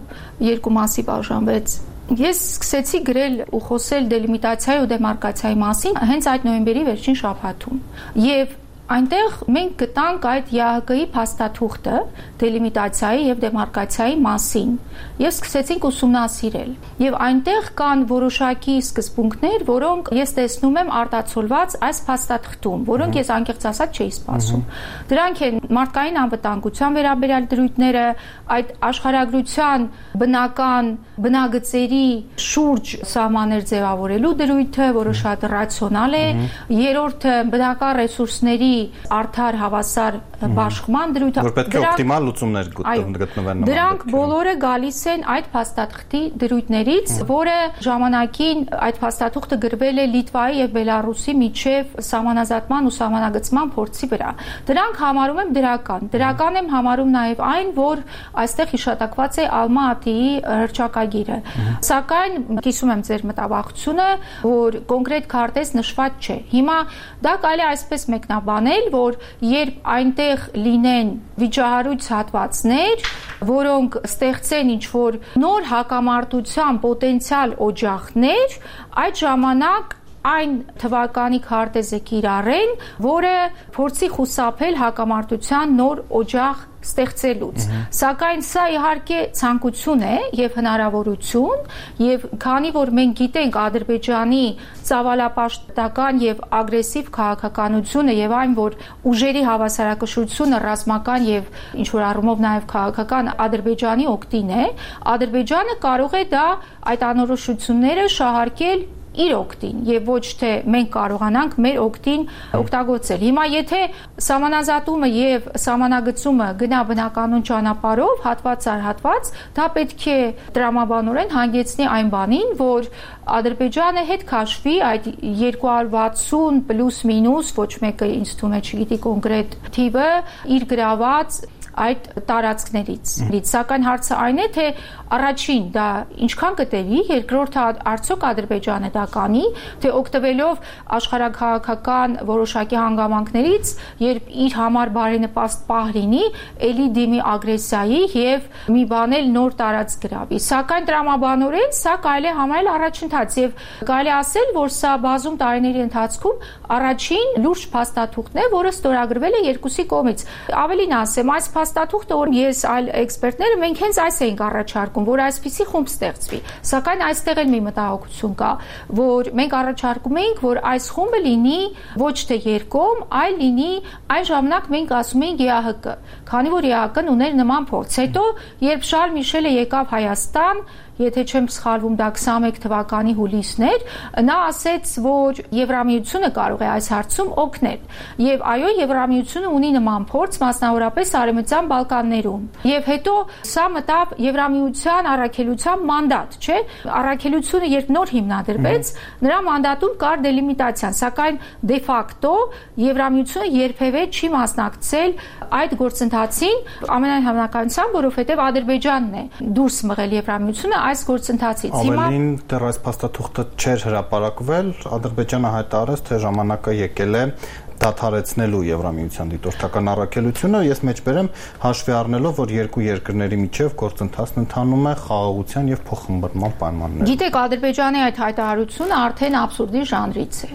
երկու մասի բաժանվեց։ Ես սկսեցի գրել ու խոսել դելիմիտացիայի ու դեմարկացիայի մասին հենց այդ նոյեմբերի վերջին շաբաթում։ Եվ այնտեղ մենք գտանք այդ ԵԱՀԿ-ի փաստաթուղթը դելիմիտացիայի եւ դեմարկացիայի մասին եւ սկսեցինք ուսումնասիրել։ Եվ այնտեղ կան որոշակի սկզբունքներ, որոնք ես տեսնում եմ արտացոլված այս փաստաթղթում, որոնք ես անկեղծ ասած չէի սպասում։ Դրանք են մարդկային անվտանգության վերաբերյալ դրույթները, այդ աշխարհագրության բնական բնագծերի շուրջ սահմաններ ձևավորելու դրույթը, որը շատ ռացիոնալ է, երրորդը բնական ռեսուրսների արդար հավասար բաշխման դրույթը, որ պետք է օպտիմալ լուծումներ գտնվեն։ Դրանք բոլորը գալիս են այդ փաստաթղթի դրույթներից, որը ժամանակին այդ փաստաթուղթը գրվել է Լիտվայի եւ Բելարուսի միջև սահմանազատման ու սահմանագծման փորձի վրա։ Դրանք համարում եմ դրական։ Դրական եմ համարում նաեւ այն, որ այստեղ հիշատակված է Ալմա-Ատիի հռչակագիրը։ Սակայն կիսում եմ ձեր մտավախությունը, որ կոնկրետ քարտեզ նշված չէ։ Հիմա դա կարելի է այսպես մեկնաբանել, որ երբ այնտեղ լինեն վիճահարույց հատվածներ, որոնք ստեղծեն ինչ-որ նոր հակամարտության պոտենցիալ օջախներ, այդ ժամանակ այն թվականի քարտեզը կիրառեն, որը փորձի խուսափել հակամարտության նոր օջախ ստեղծելուց։ Սակայն սա իհարկե ցանկություն է եւ հնարավորություն, եւ քանի որ մենք գիտենք Ադրբեջանի ծավալապաշտական եւ ագրեսիվ քաղաքականությունը եւ այն, որ ուժերի հավասարակշռությունը ռազմական եւ ինչ որ առումով նաեւ քաղաքական Ադրբեջանի օգտին է, Ադրբեջանը կարող է դա այդ անորոշությունները շահարկել իր օգտին եւ ոչ թե մենք կարողանանք մեր օգտին օգտագործել։ Հիմա եթե սահմանազատումը եւ սահմանագծումը գնա բնականոն ճանապարհով, հատված առ հատված, դա պետք է տրամաբանորեն հանգեցնի այն բանին, որ Ադրբեջանը հետ քաշվի այդ երկու հարյուր վաթսուն պլյուս մինուս, ոչ մեկը ինձ թվում է չգիտի կոնկրետ թիվը, իր գրաված այդ տարածքներից։ Սակայն հարցը այն է, թե առաջին դա ինչքան կտևի, երկրորդը արդյոք Ադրբեջանը դա կանի, թե օգտվելով աշխարհաքաղաքական որոշակի հանգամանքներից, երբ իր համար բարենպաստ պահ լինի, ելի դիմի ագրեսիայի եւ մի բան էլ նոր տարածք գրավի։ Սակայն տրամաբանորեն սա կարելի է համարել առաջընթաց եւ կարելի ասել, որ սա բազում տարիների ընթացքում առաջին լուրջ փաստաթուղթն է, որը ստորագրվել է երկուսի կողմից։ Ավելին ասեմ, այս փաստաթուղթը, որ ես այլ էքսպերտները մենք հենց այս էինք առաջարկում, որ այսպիսի խումբ ստեղծվի։ Սակայն այստեղ էլ մի մտահոգություն կա, որ մենք առաջարկում էինք, որ այս խումբը լինի ոչ թե երկկողմ, այլ լինի այն ժամանակ մենք ասում էինք Է Ա Հ Կ, քանի որ Է Ա Հ Կ-ն ուներ նման փորձ։ Հետո, երբ Շարլ Միշելը եկավ Հայաստան, եթե չեմ սխալվում, դա քսանմեկ թվականի հուլիսն էր, նա ասեց, որ Եվրամիությունը կարող է այս հարցում օգնել։ Եվ այո, Եվրամիությունը ունի նման փորձ, մասնավորապես Արևմտյան Բալկաններում։ Եվ հետո սա մտավ Եվրամիության առաքելության մանդատ, չէ՞։ Առաքելությունը երբ նոր հիմնադրվեց, նրա մանդատում կար դելիմիտացիան, սակայն դե ֆակտո Եվրամիությունը երբևէ չի մասնակցել այդ գործընթացին, ամենայն հավանականությամբ, որովհետև Ադրբեջանն է դուրս մղել Եվրամիությունը այս գործընթացից։ Ավելին դեռ այս փաստաթուղթը չէր հրապարակվել, Ադրբեջանը հայտարարեց, թե ժամանակը եկել է դադարեցնելու Եվրամիության դիտորդական առաքելությունը, ես մեջբերեմ հաշվի առնելով, որ երկու երկրների միջև գործընթացն ընթանում է խաղաղության եւ փոխհմբռնման պայմաններում։ Գիտեք, Ադրբեջանի այդ հայտարարությունը արդեն աբսուրդի ժանրից է,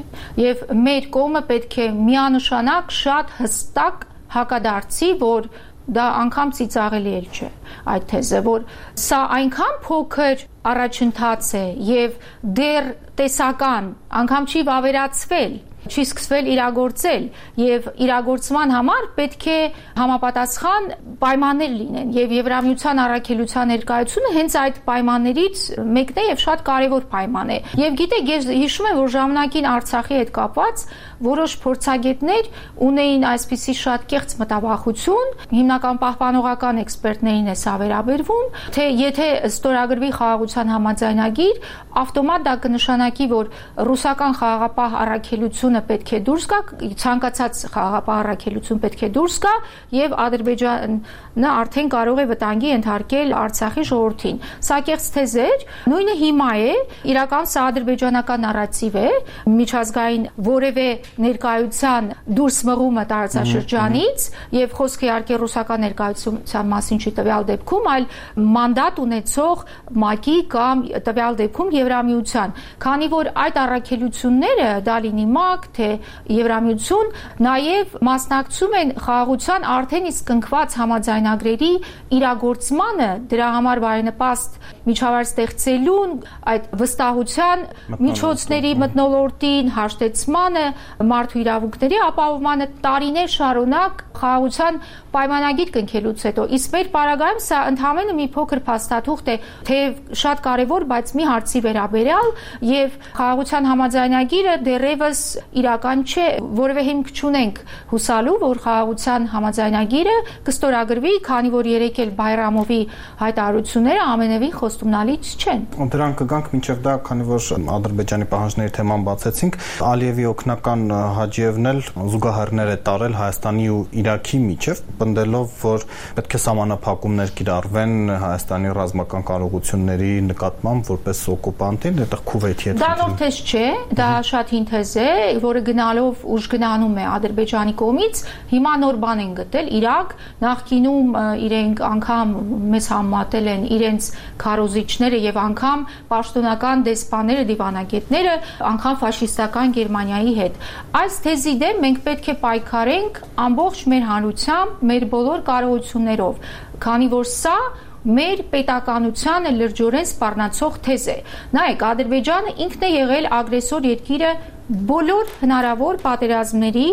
եւ մեր կողմը պետք է միանշանակ շատ հստակ հակադարձի, որ դա անգամ ծիծաղելի էլ չէ այդ թեզը, որ սա այնքան փոքր առաջընթաց է եւ դեռ տեսական, անգամ չի վավերացվել, չի սկսվել իրագործել եւ իրագործման համար պետք է համապատասխան պայմաններ լինեն եւ Եվրամիության առաքելության ներկայությունը հենց այդ պայմաններից մեկն է եւ շատ կարեւոր պայման է։ Եվ գիտեք, ես հիշում եմ, որ ժամանակին Արցախի հետ կապված որոշ փորձագետներ ունեին այսպիսի շատ կեղծ մտավախություն, հիմնական պահպանողական էքսպերտներին է սա վերաբերվում, թե եթե ստորագրվի խաղաղության համաձայնագիր, ավտոմատ դա կնշանակի, որ ռուսական խաղաղապահ առաքելությունը պետք է դուրս գա, ցանկացած խաղաղապահ առաքելություն պետք է դուրս գա եւ Ադրբեջանը արդեն կարող է վտանգի ենթարկել Արցախի ժողովրդին։ Սա կեղծ թեզ էր, նույնը հիմա է, իրական սա ադրբեջանական նարատիվ է, միջազգային որևէ ներկայության դուրս մղումը տարածաշրջանից եւ խոսքը իհարկե ռուսական ներկայության մասին չի տվյալ դեպքում, այլ մանդատ ունեցող ՄԱԿ-ի կամ տվյալ դեպքում Եվրամիության, քանի որ այդ առաքելությունները դա լինի ՄԱԿ, թե Եվրամիություն, նաև մասնակցում են խաղաղության արդեն իսկ կնքված համաձայնագրերի իրագործմանը, դրա համար բարենպաստ միջավայր ստեղծելուն, այդ վստահության միջոցների մթնոլորտին, հաշտեցմանը, մարդու իրավունքների ապահովմանը տարիներ շարունակ խաղաղության պայմանագիր կնքելուց հետո։ Իսկ մեր պարագայում սա ընդհանրապես մի փոքր փաստաթուղթ է, թեև շատ կարևոր, բայց մի հարցի վերաբերյալ եւ խաղաղության համաձայնագիրը դեռևս իրական չէ, որևէ հիմք չունենք հուսալու, որ խաղաղության համաձայնագիրը կստորագրվի, քանի որ երեք էլ Բայրամովի հայտարարությունները ամենևին խոստումնալից չեն։ Դրանք կգանք մինչև դա, քանի որ Ադրբեջանի պահանջների թեման բացեցինք, Ալիևի օգնական Հաջիևն էլ զուգահեռներ է տարել Հայաստանի ու Իրաքի միջև, պնդելով, որ պետք է սահմանափակումներ կիրառվեն Հայաստանի ռազմական կարողությունների նկատմամբ որպես օկուպանտին, այդտեղ Քուվեյթի հետ։ Դա նոր թեզ չէ, դա շատ հին թեզ է, որը գնալով ուժ գնանում է Ադրբեջանի կողմից, հիմա նոր բան են գտել Իրաք, նախկինում իրենք անգամ մեզ համատել են իրենց քարոզիչները եւ անգամ պաշտոնական դեսպանները, դիվանագետները, անգամ ֆաշիստական Գերմանիայի հետ։ Այս թեզի դեմ մենք պետք է պայքարենք ամբողջ մեր հանրությամբ, մեր բոլոր կարողություններով, քանի որ սա մեր պետականությանը լրջորեն սպառնացող թեզ է։ Նայեք, Ադրբեջանը ինքն է եղել ագրեսոր երկիրը բոլոր հնարավոր պատերազմների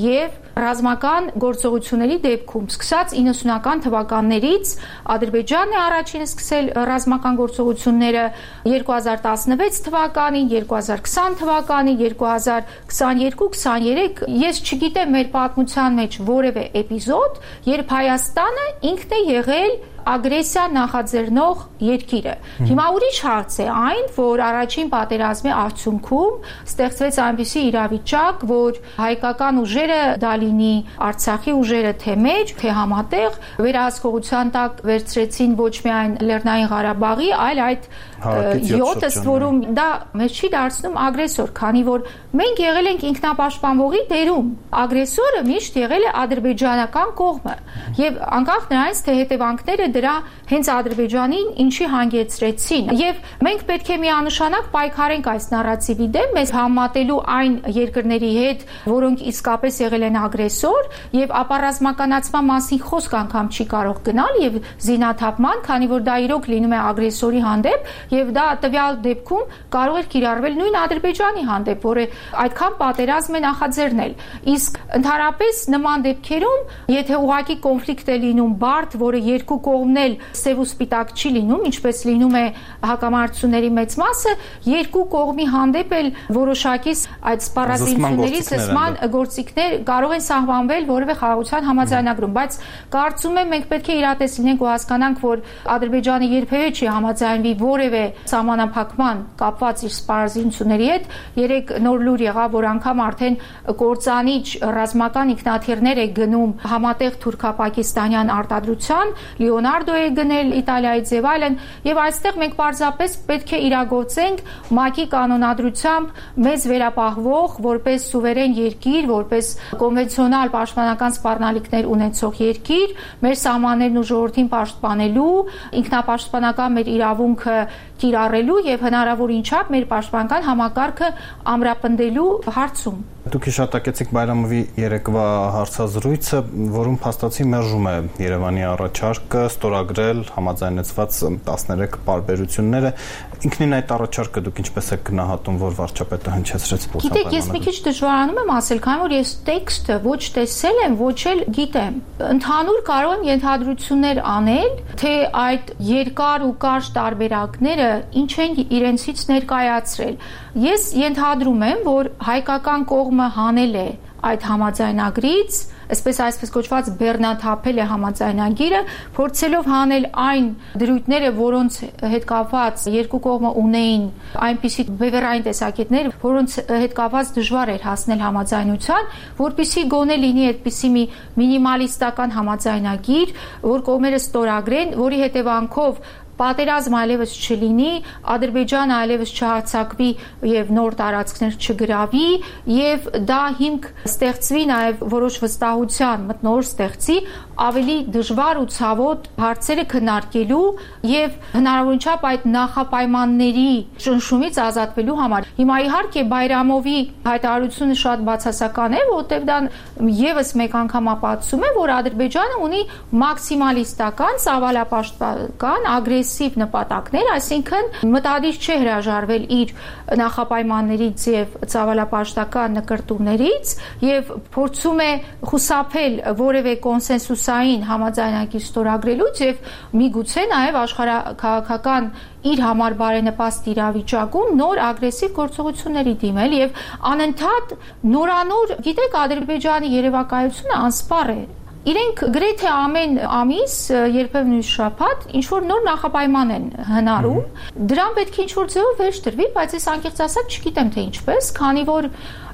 եւ ռազմական գործողությունների դեպքում, սկսած իննսունական թվականներից Ադրբեջանն է առաջինը սկսել ռազմական գործողությունները երկու հազար տասնվեց թվականին, երկու հազար քսան թվականին, երկու հազար քսաներկու քսաներեք, ես չգիտեմ մեր պատմության մեջ որևէ էպիզոդ, երբ Հայաստանը ինքն է եղել ագրեսիա նախաձեռնող երկիրը։ Հիմա ուրիշ հարց է այն, որ առաջին պատերազմի արդյունքում ստեղծվեց այնպիսի իրավիճակ, որ հայկական ուժերը, դա լինի Արցախի ուժերը թե մեր, թե համատեղ, վերահսկողության տակ վերցրեցին ոչ միայն Լեռնային Ղարաբաղի, այլ այդ յոթ ըստ որում դա մեզ չի դարձնում ագրեսոր, քանի որ մենք եղել ենք ինքնապաշտպանողի դերում։ Ագրեսորը միշտ եղել է ադրբեջանական կողմը, եւ անկախ նրանից, թե հետևանքները դրա հենց Ադրբեջանին ինչի հանգեցրեցին, եւ մենք պետք է միանշանակ պայքարենք այս նարատիվի դեմ, մեզ համատելու այն երկրների հետ, որոնք իսկապես եղել են ագրեսոր, եւ ապառազմականացման մասին խոսք անգամ չի կարող գնալ եւ զինաթափման, քանի որ դա իրոք լինում է ագրեսորի հանդեպ, եւ դա տվյալ դեպքում կարող էր կիրառվել նույն Ադրբեջանի հանդեպ, որը այդքան պատերազմ է նախաձեռնել։ Իսկ ընդհանրապես նման դեպքերում, եթե ուղղակի կոնֆլիկտ է լինում բարդ, որը երկու կողմն էլ սև ու սպիտակ չի լինում, ինչպես լինում է հակամարտությունների մեծ մասը, երկու կողմի հանդեպ էլ որոշակի այդ սպառազինությունների զսպման գործիքներ կարող են սահմանվել որևէ խաղաղության համաձայնագրում, բայց կարծում եմ մենք պետք է իրատես լինենք ու հասկանանք, որ Ադրբեջանը երբևէ չի համաձայնվի որևէ սահմանափակման կապված իր սպառազինությունների հետ։ Երեք նոր լուր եղավ, որ անգամ արդեն կործանիչ ռազմական ինքնաթիռներ է գնում համատեղ թուրքապակիստանյան արտադրության, Լեոնարդո է գնել Իտալիայից եւ այլն, եւ այստեղ մենք պարզապես պետք է իրագործենք ՄԱԿ-ի կանոնադրությամբ մեզ վերապահվող որպես սուվերեն երկիր, որպես կոնվենցիոնալ պաշտպանական սպառնալիքներ ունեցող երկիր, մեր սահմաններն ու ժողովրդին պաշտպանելու, ինքնապաշտպանական մեր իրավունքը կիրառելու եւ հնարավորին չափ մեր պաշտպանական համակարգը ամրապնդելու հարցում։ Դուք հիշատակեցիք Բայրամովի երեկվա հարցազրույցը, որում փաստացի մերժում է Երևանի առաջարկը ստորագրել համաձայնեցված տասներեք պարբերությունները։ Ինքնին այդ առաջարկը դուք ինչպես եք գնահատում, որ վարչապետը հնչեցրեց փոխանցում։ Գիտեք, ես մի քիչ դժվարանում եմ ասել, քանի որ ես տեքստը ոչ տեսել եմ, ոչ էլ գիտեմ։ Ընդհանուր կարող եմ ենթադրություններ անել, թե այդ երկար ու կարճ տարբերակները ինչ են իրենցից ներկայացրել։ Ես ենթադրում եմ, որ հայկական կողմը հանել է այդ համաձայնագրից, այսպես այսպես կոչված բեռնաթափել է համաձայնագիրը, փորձելով հանել այն դրույթները, որոնց հետ կապված երկու կողմը ունեին այնպիսի բևեռային տեսակետներ, որոնց հետ կապված դժվար էր հասնել համաձայնության, որպեսզի գոնե լինի այդպիսի մի մինիմալիստական համաձայնագիր, որ կողմերը ստորագրեն, որի հետևանքով պատերազմ այլևս չլինի, Ադրբեջանը այլևս չհարձակվի եւ նոր տարածքներ չգրավի եւ դա հիմք ստեղծվի նաեւ որոշ վստահության մթնոլորտ ստեղծի ավելի դժվար ու ցավոտ հարցերը քննարկելու եւ հնարավորին չափ այդ նախապայմանների ճնշումից ազատվելու համար։ Հիմա իհարկե Բայրամովի հայտարարությունը շատ բացասական է, որտեղ դա եւս մեկ անգամ ապացուցում է, որ Ադրբեջանը ունի մաքսիմալիստական, ծավալապաշտպանական, ագրեսիվ նպատակներ, այսինքն մտադիր չէ հրաժարվել իր նախապայմաններից եւ ծավալապաշտական նկրտումներից եւ փորձում է խուսափել որևէ կոնսենսուսային համաձայնագիր ստորագրելուց եւ միգուցե նաեւ աշխարհաքաղաքական իր համար բարենպաստ իրավիճակում նոր ագրեսիվ գործողությունների դիմել եւ անընդհատ նորանոր, գիտեք, Ադրբեջանի երևակայությունը անսպառ է։ Իրենք գրեթե ամեն ամիս, երբեմն նույն շաբաթ, ինչ որ նոր նախապայման են հնարում, դրան պետք է ինչ որ ձևով վերջ տրվի, բայց ես անկեղծ ասած չգիտեմ թե ինչպես, քանի որ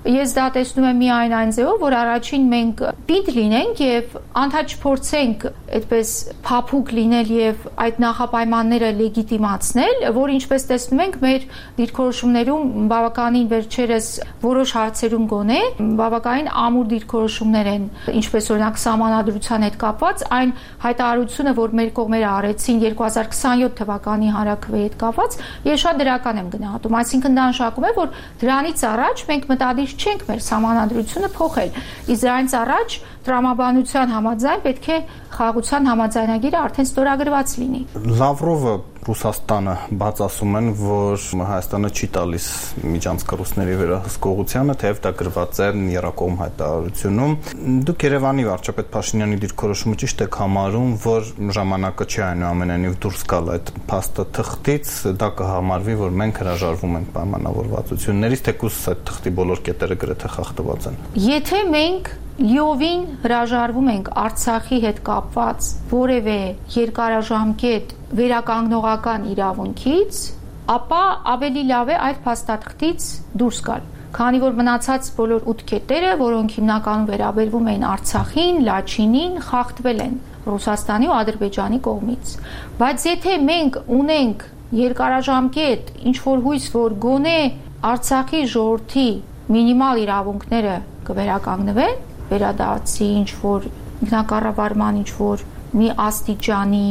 Ես դա տեսնում եմ միայն այն ձևով, որ առաջին մենք պինդ լինենք եւ անդադ չփորձենք այդպես փափուկ լինել եւ այդ նախապայմանները լեգիտիմացնել, որ ինչպես տեսնում ենք մեր դիրքորոշումներում բավականին վերջերս որոշ հարցերում գոնե բավականին ամուր դիրքորոշումներ են, ինչպես օրինակ սահմանադրության հետ կապված այն հայտարարությունը, որ մեր կողմերը արեցին երկու հազար քսաներորդ թվականի հանրաքվեի հետ կապված, ես շատ դրական եմ գնահատում, այսինքն դա նշանակում է, որ դրանից առաջ մենք մտադիր չենք մեր սահմանադրությունը փոխել, իսկ դրանից առաջ տրամաբանության համաձայն պետք է խաղաղության համաձայնագիրը արդեն ստորագրված լինի։ Լավրովը Ռուսաստանը բաց ասում են, որ Հայաստանը չի տալիս միջանցք ռուսների վերահսկողությանը, թեև դա գրված է Երակոմ հայտարարությունում։ Դուք Երևանի վարչապետ Փաշինյանի դիրքորոշումը ճիշտ եք համարում, որ ժամանակը չի այնուամենայնիվ դուրս գալ այդ փաստաթղթից, դա կհամարվի, որ մենք հրաժարվում ենք պայմանավորվածություններից, թեկուզ այդ թղթի բոլոր կետերը գրեթե խախտված են։ Եթե մենք լիովին հրաժարվում ենք Արցախի հետ կապված որևէ երկարաժամկետ վերականգնողական իրավունքից, ապա ավելի լավ է այդ փաստաթղթից դուրս գալ, քանի որ մնացած բոլոր ութ կետերը, որոնք հիմնականում վերաբերվում էին Արցախին, Լաչինին, խախտվել են Ռուսաստանի ու Ադրբեջանի կողմից։ Բայց եթե մենք ունենք երկարաժամկետ ինչ-որ հույս, որ գոնե Արցախի ժողովրդի մինիմալ իրավունքները կվերականգնվեն, վերադարձի ինչ-որ ինքնակառավարման ինչ-որ մի աստիճանի,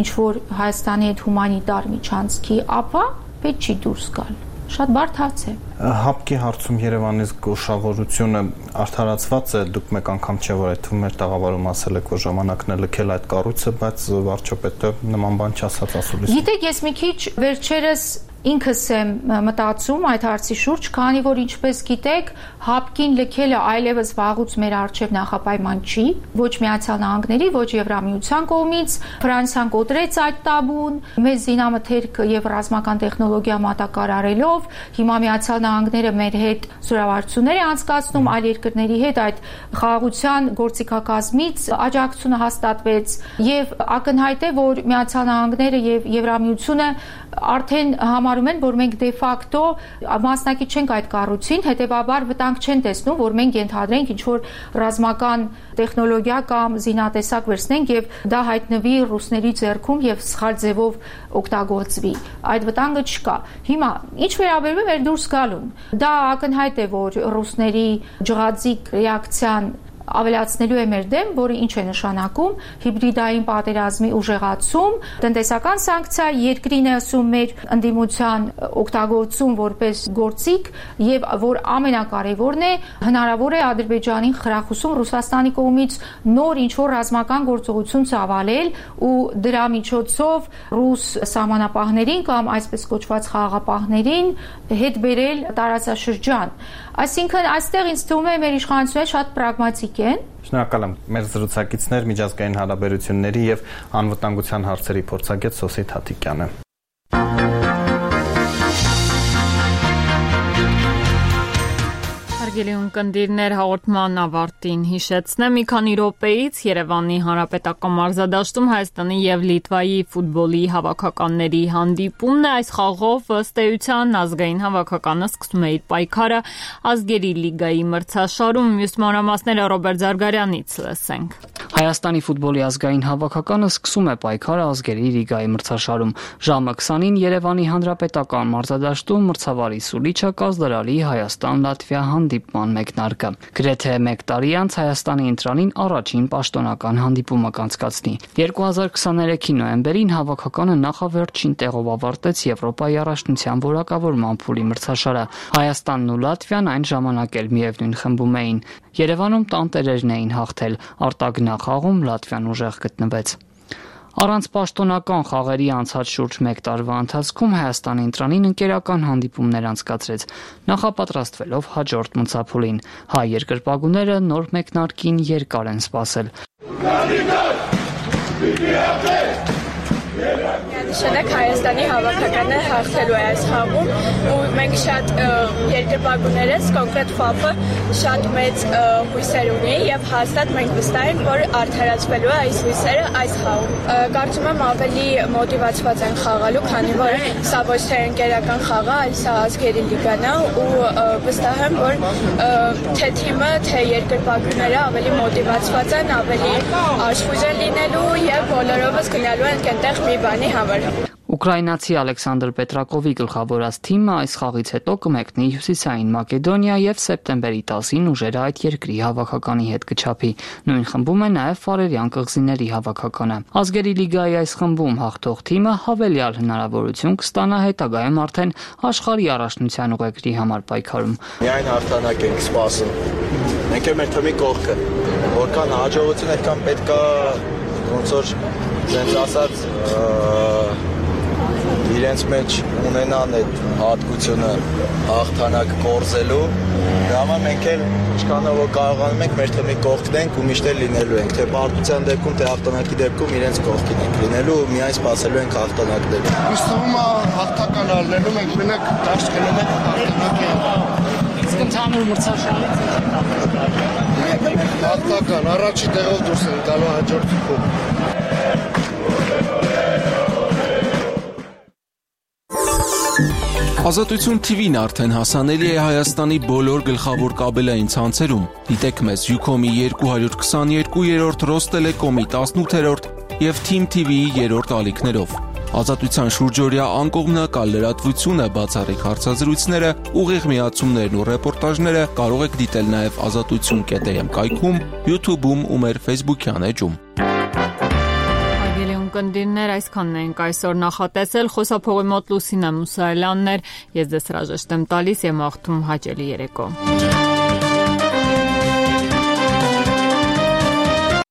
ինչ-որ Հայաստանի հետ հումանիտար միջանցքի, ապա պետք չի դուրս գալ։ Շատ բարդ հարց է։ Հապկի հարցում Երևանից գոշավորությունը արդարացված է, դուք մեկ անգամ չէ, որ այդ մեր տաղավարում ասել եք, որ ժամանակն է լքել այդ կառույցը, բայց վարչապետը նման բան չասաց ասուլիս։ Գիտեք, ես մի քիչ վերջերս ինքս եմ մտածում այդ հարցի շուրջ, քանի որ ինչպես գիտեք, հապկին լքելը այլևս վաղուց մեր առջև նախապայման չի, ոչ Միացյալ Նահանգների, ոչ Եվրամիության կողմից, Ֆրանսիան կոտրեց այդ տաբուն, մեծ զինամթերք եւ ռազմական տեխնոլոգիա մատակարարելով, հիմա Միացյալ Նահանգները մեր հետ զորավարություններ է անցկացնում, այլ երկրների հետ այդ խաղաղության գործիքակազմից աջակցությունը հաստատվեց եւ ակնհայտ է, որ Միացյալ Նահանգները եւ Եվրամիությունը արդեն համարում են, որ մենք դե ֆակտո մասնակից չենք այդ կառույցին, հետեւաբար վտանգ չեն տեսնում, որ մենք ենթադրենք ինչ-որ ռազմական տեխնոլոգիա կամ զինատեսակ վերցնենք եւ դա հայտնվի ռուսների ձեռքում եւ սխալ ձևով օգտագործվի։ Այդ վտանգը չկա։ Հիմա ինչ վերաբերում է մեր դուրս գալուն, դա ակնհայտ է, որ ռուսների ջղաձիկ ռեակցիան ավելացնելու է մեր դեմ, որը ինչ է նշանակում հիբրիդային պատերազմի ուժեղացում, տնտեսական սանկցիա, երկրին է ասում մեր ընդդիմության օգտագործում որպես գործիք եւ որ ամենակարևորն է, հնարավոր է Ադրբեջանին խրախուսում Ռուսաստանի կողմից նոր ինչ-որ ռազմական գործողություն ծավալել ու դրա միջոցով ռուս սահմանապահներին կամ այսպես կոչված խաղաղապահներին հետ բերել տարածաշրջան։ Այսինքն այստեղ ինձ թվում է մեր իշխանությունները շատ պրագմատիկ են։ Շնորհակալ եմ։ Մեր զրուցակիցներ միջազգային հարաբերությունների եւ անվտանգության հարցերի փորձագետ Սոսիթ Հատիկյանը։ Հարգելի ունկնդիրներ, հաղորդման ավարտին հիշեցնեմ մի քանի րոպեից Երևանի հանրապետական մարզադաշտում Հայաստանի եւ Լիտվայի ֆուտբոլի հավաքականների հանդիպումն է։ Այս խաղով ըստ էության ազգային հավաքականը սկսում է իր պայքարը ազգերի լիգայի մրցաշարում։ Մյուս մանրամասները Ռոբերտ Զարգարյանից լսենք։ Հայաստանի ֆուտբոլի ազգային հավաքականը սկսում է պայքարը ազգերի լիգայի մրցաշարում։ Ժամը քսանին Երևանի հանրապետական մարզադաշտում մրցավարի սուլիչը կազդրալի Հայաստան-Լատվիա հանդիպման մեկնարկը։ Գրեթե մեկ տարի անց Հայաստանի ընտրանին առաջին պաշտոնական հանդիպումը կանցկացնի։ երկու հազար քսաներեքի նոյեմբերին հավաքականը նախավերջին տեղով ավարտեց Եվրոպայի առաջնության որակավորման փուլի մրցաշարը։ Հայաստանն ու Լատվիան այն ժամանակ էլ միևնույն խմբում էին։ Երևանում տանտերերն էին հաղթել, արտագնախաղում Լատվիան ուժեղ գտնվեց։ Առանց պաշտոնական խաղերի անցած շուրջ մեկ տարվա ընթացքում Հայաստանի ընտրանին ընկերական հանդիպումներ անցկացրեց, նախապատրաստվելով հաջորդ մրցափուլին։ Հայ երկրպագուները նոր մեկնարկին երկար են սպասել։ նշանակեք Հայաստանի հավաքականը հաղթելու է այս խաղում ու մենք շատ երկրպագուներ ես կոնկրետ ՖԱՊ-ը շատ մեծ հույսեր ունի եւ հաստատ մենք վստահ ենք, որ արդարացվելու է այս հույսերը այս խաղում։ Կարծում եմ ավելի մոտիվացված են խաղալու, քանի որ սա ոչ թե ընկերական խաղ է, այլ սա ազգերի լիգան է ու վստահ եմ, որ թե թիմը, թե երկրպագուները ավելի մոտիվացված են, ավելի աշխույժ են լինելու եւ բոլորովս գնալու են այնտեղ մի բանի համար։ Ուկրաինացի Ալեքսանդր Պետրակովի գլխավորած թիմը այս խաղից հետո կմեկնի Հյուսիսային Մակեդոնիա եւ սեպտեմբերի տասին ուժերը այդ երկրի հավաքականի հետ կչափի։ Նույն խմբում է նաեւ Ֆարերյան կղզիների հավաքականը։ Ազգերի լիգայի այս խմբում հաղթող թիմը հավելյալ հնարավորություն կստանա հետագայում արդեն աշխարհի առաջնության ուղեկրի համար պայքարում։ Միայն հաղթանակ ենք սպասում։ Մենք էլ մեր թիմի կողքը, որքան հաջողություն այդքան պետքա ոնց որ ցենց ասած իրենց մեջ ունենան այդ հատկությունը հաղթանակ կորզելու, դա համար մենք էլ ինչքանով կարողանում ենք մեր թիմի կողքն ենք ու միշտ էլ լինելու ենք, թե պարտության դեպքում, թե հաղթանակի դեպքում իրենց կողքին ենք լինելու ու միայն սպասելու ենք հաղթանակներ։ Ինձ թվում է հաղթական առնելու մենք մենակ դաշտ գնում ենք հաղթանակի։ Իսկ ընդհանուր մրցաշարից հաղթական առաջի տեղով դուրս են գալու հաջորդ թվում։ Ազատություն Թի Վին արդեն հասանելի է Հայաստանի բոլոր գլխավոր կաբելային ցանցերում։ Դիտեք մեզ Յուքոմի երկու հարյուր քսաներկու, Ռոստելեկոմի տասնութերորդ եւ Թիմ Թի Վիի երրորդ ալիքներով։ Ազատության շուրջօրյա անկողմնակալ լրատվությունը, բացառիկ հարցազրույցները, ուղիղ միացումներն ու ռեպորտաժները կարող եք դիտել նաեւ ազատություն կետ էմ կայքում, YouTube-ում ու մեր Facebook-յան էջում։ Կնդիրներ այսքանն ենք այսօր նախատեսել, խոսափողի մոտ Լուսինա Մուսայելյանն էր, ես ձեզ հրաժեշտ եմ տալիս եւ մաղթում հաճելի երեկո։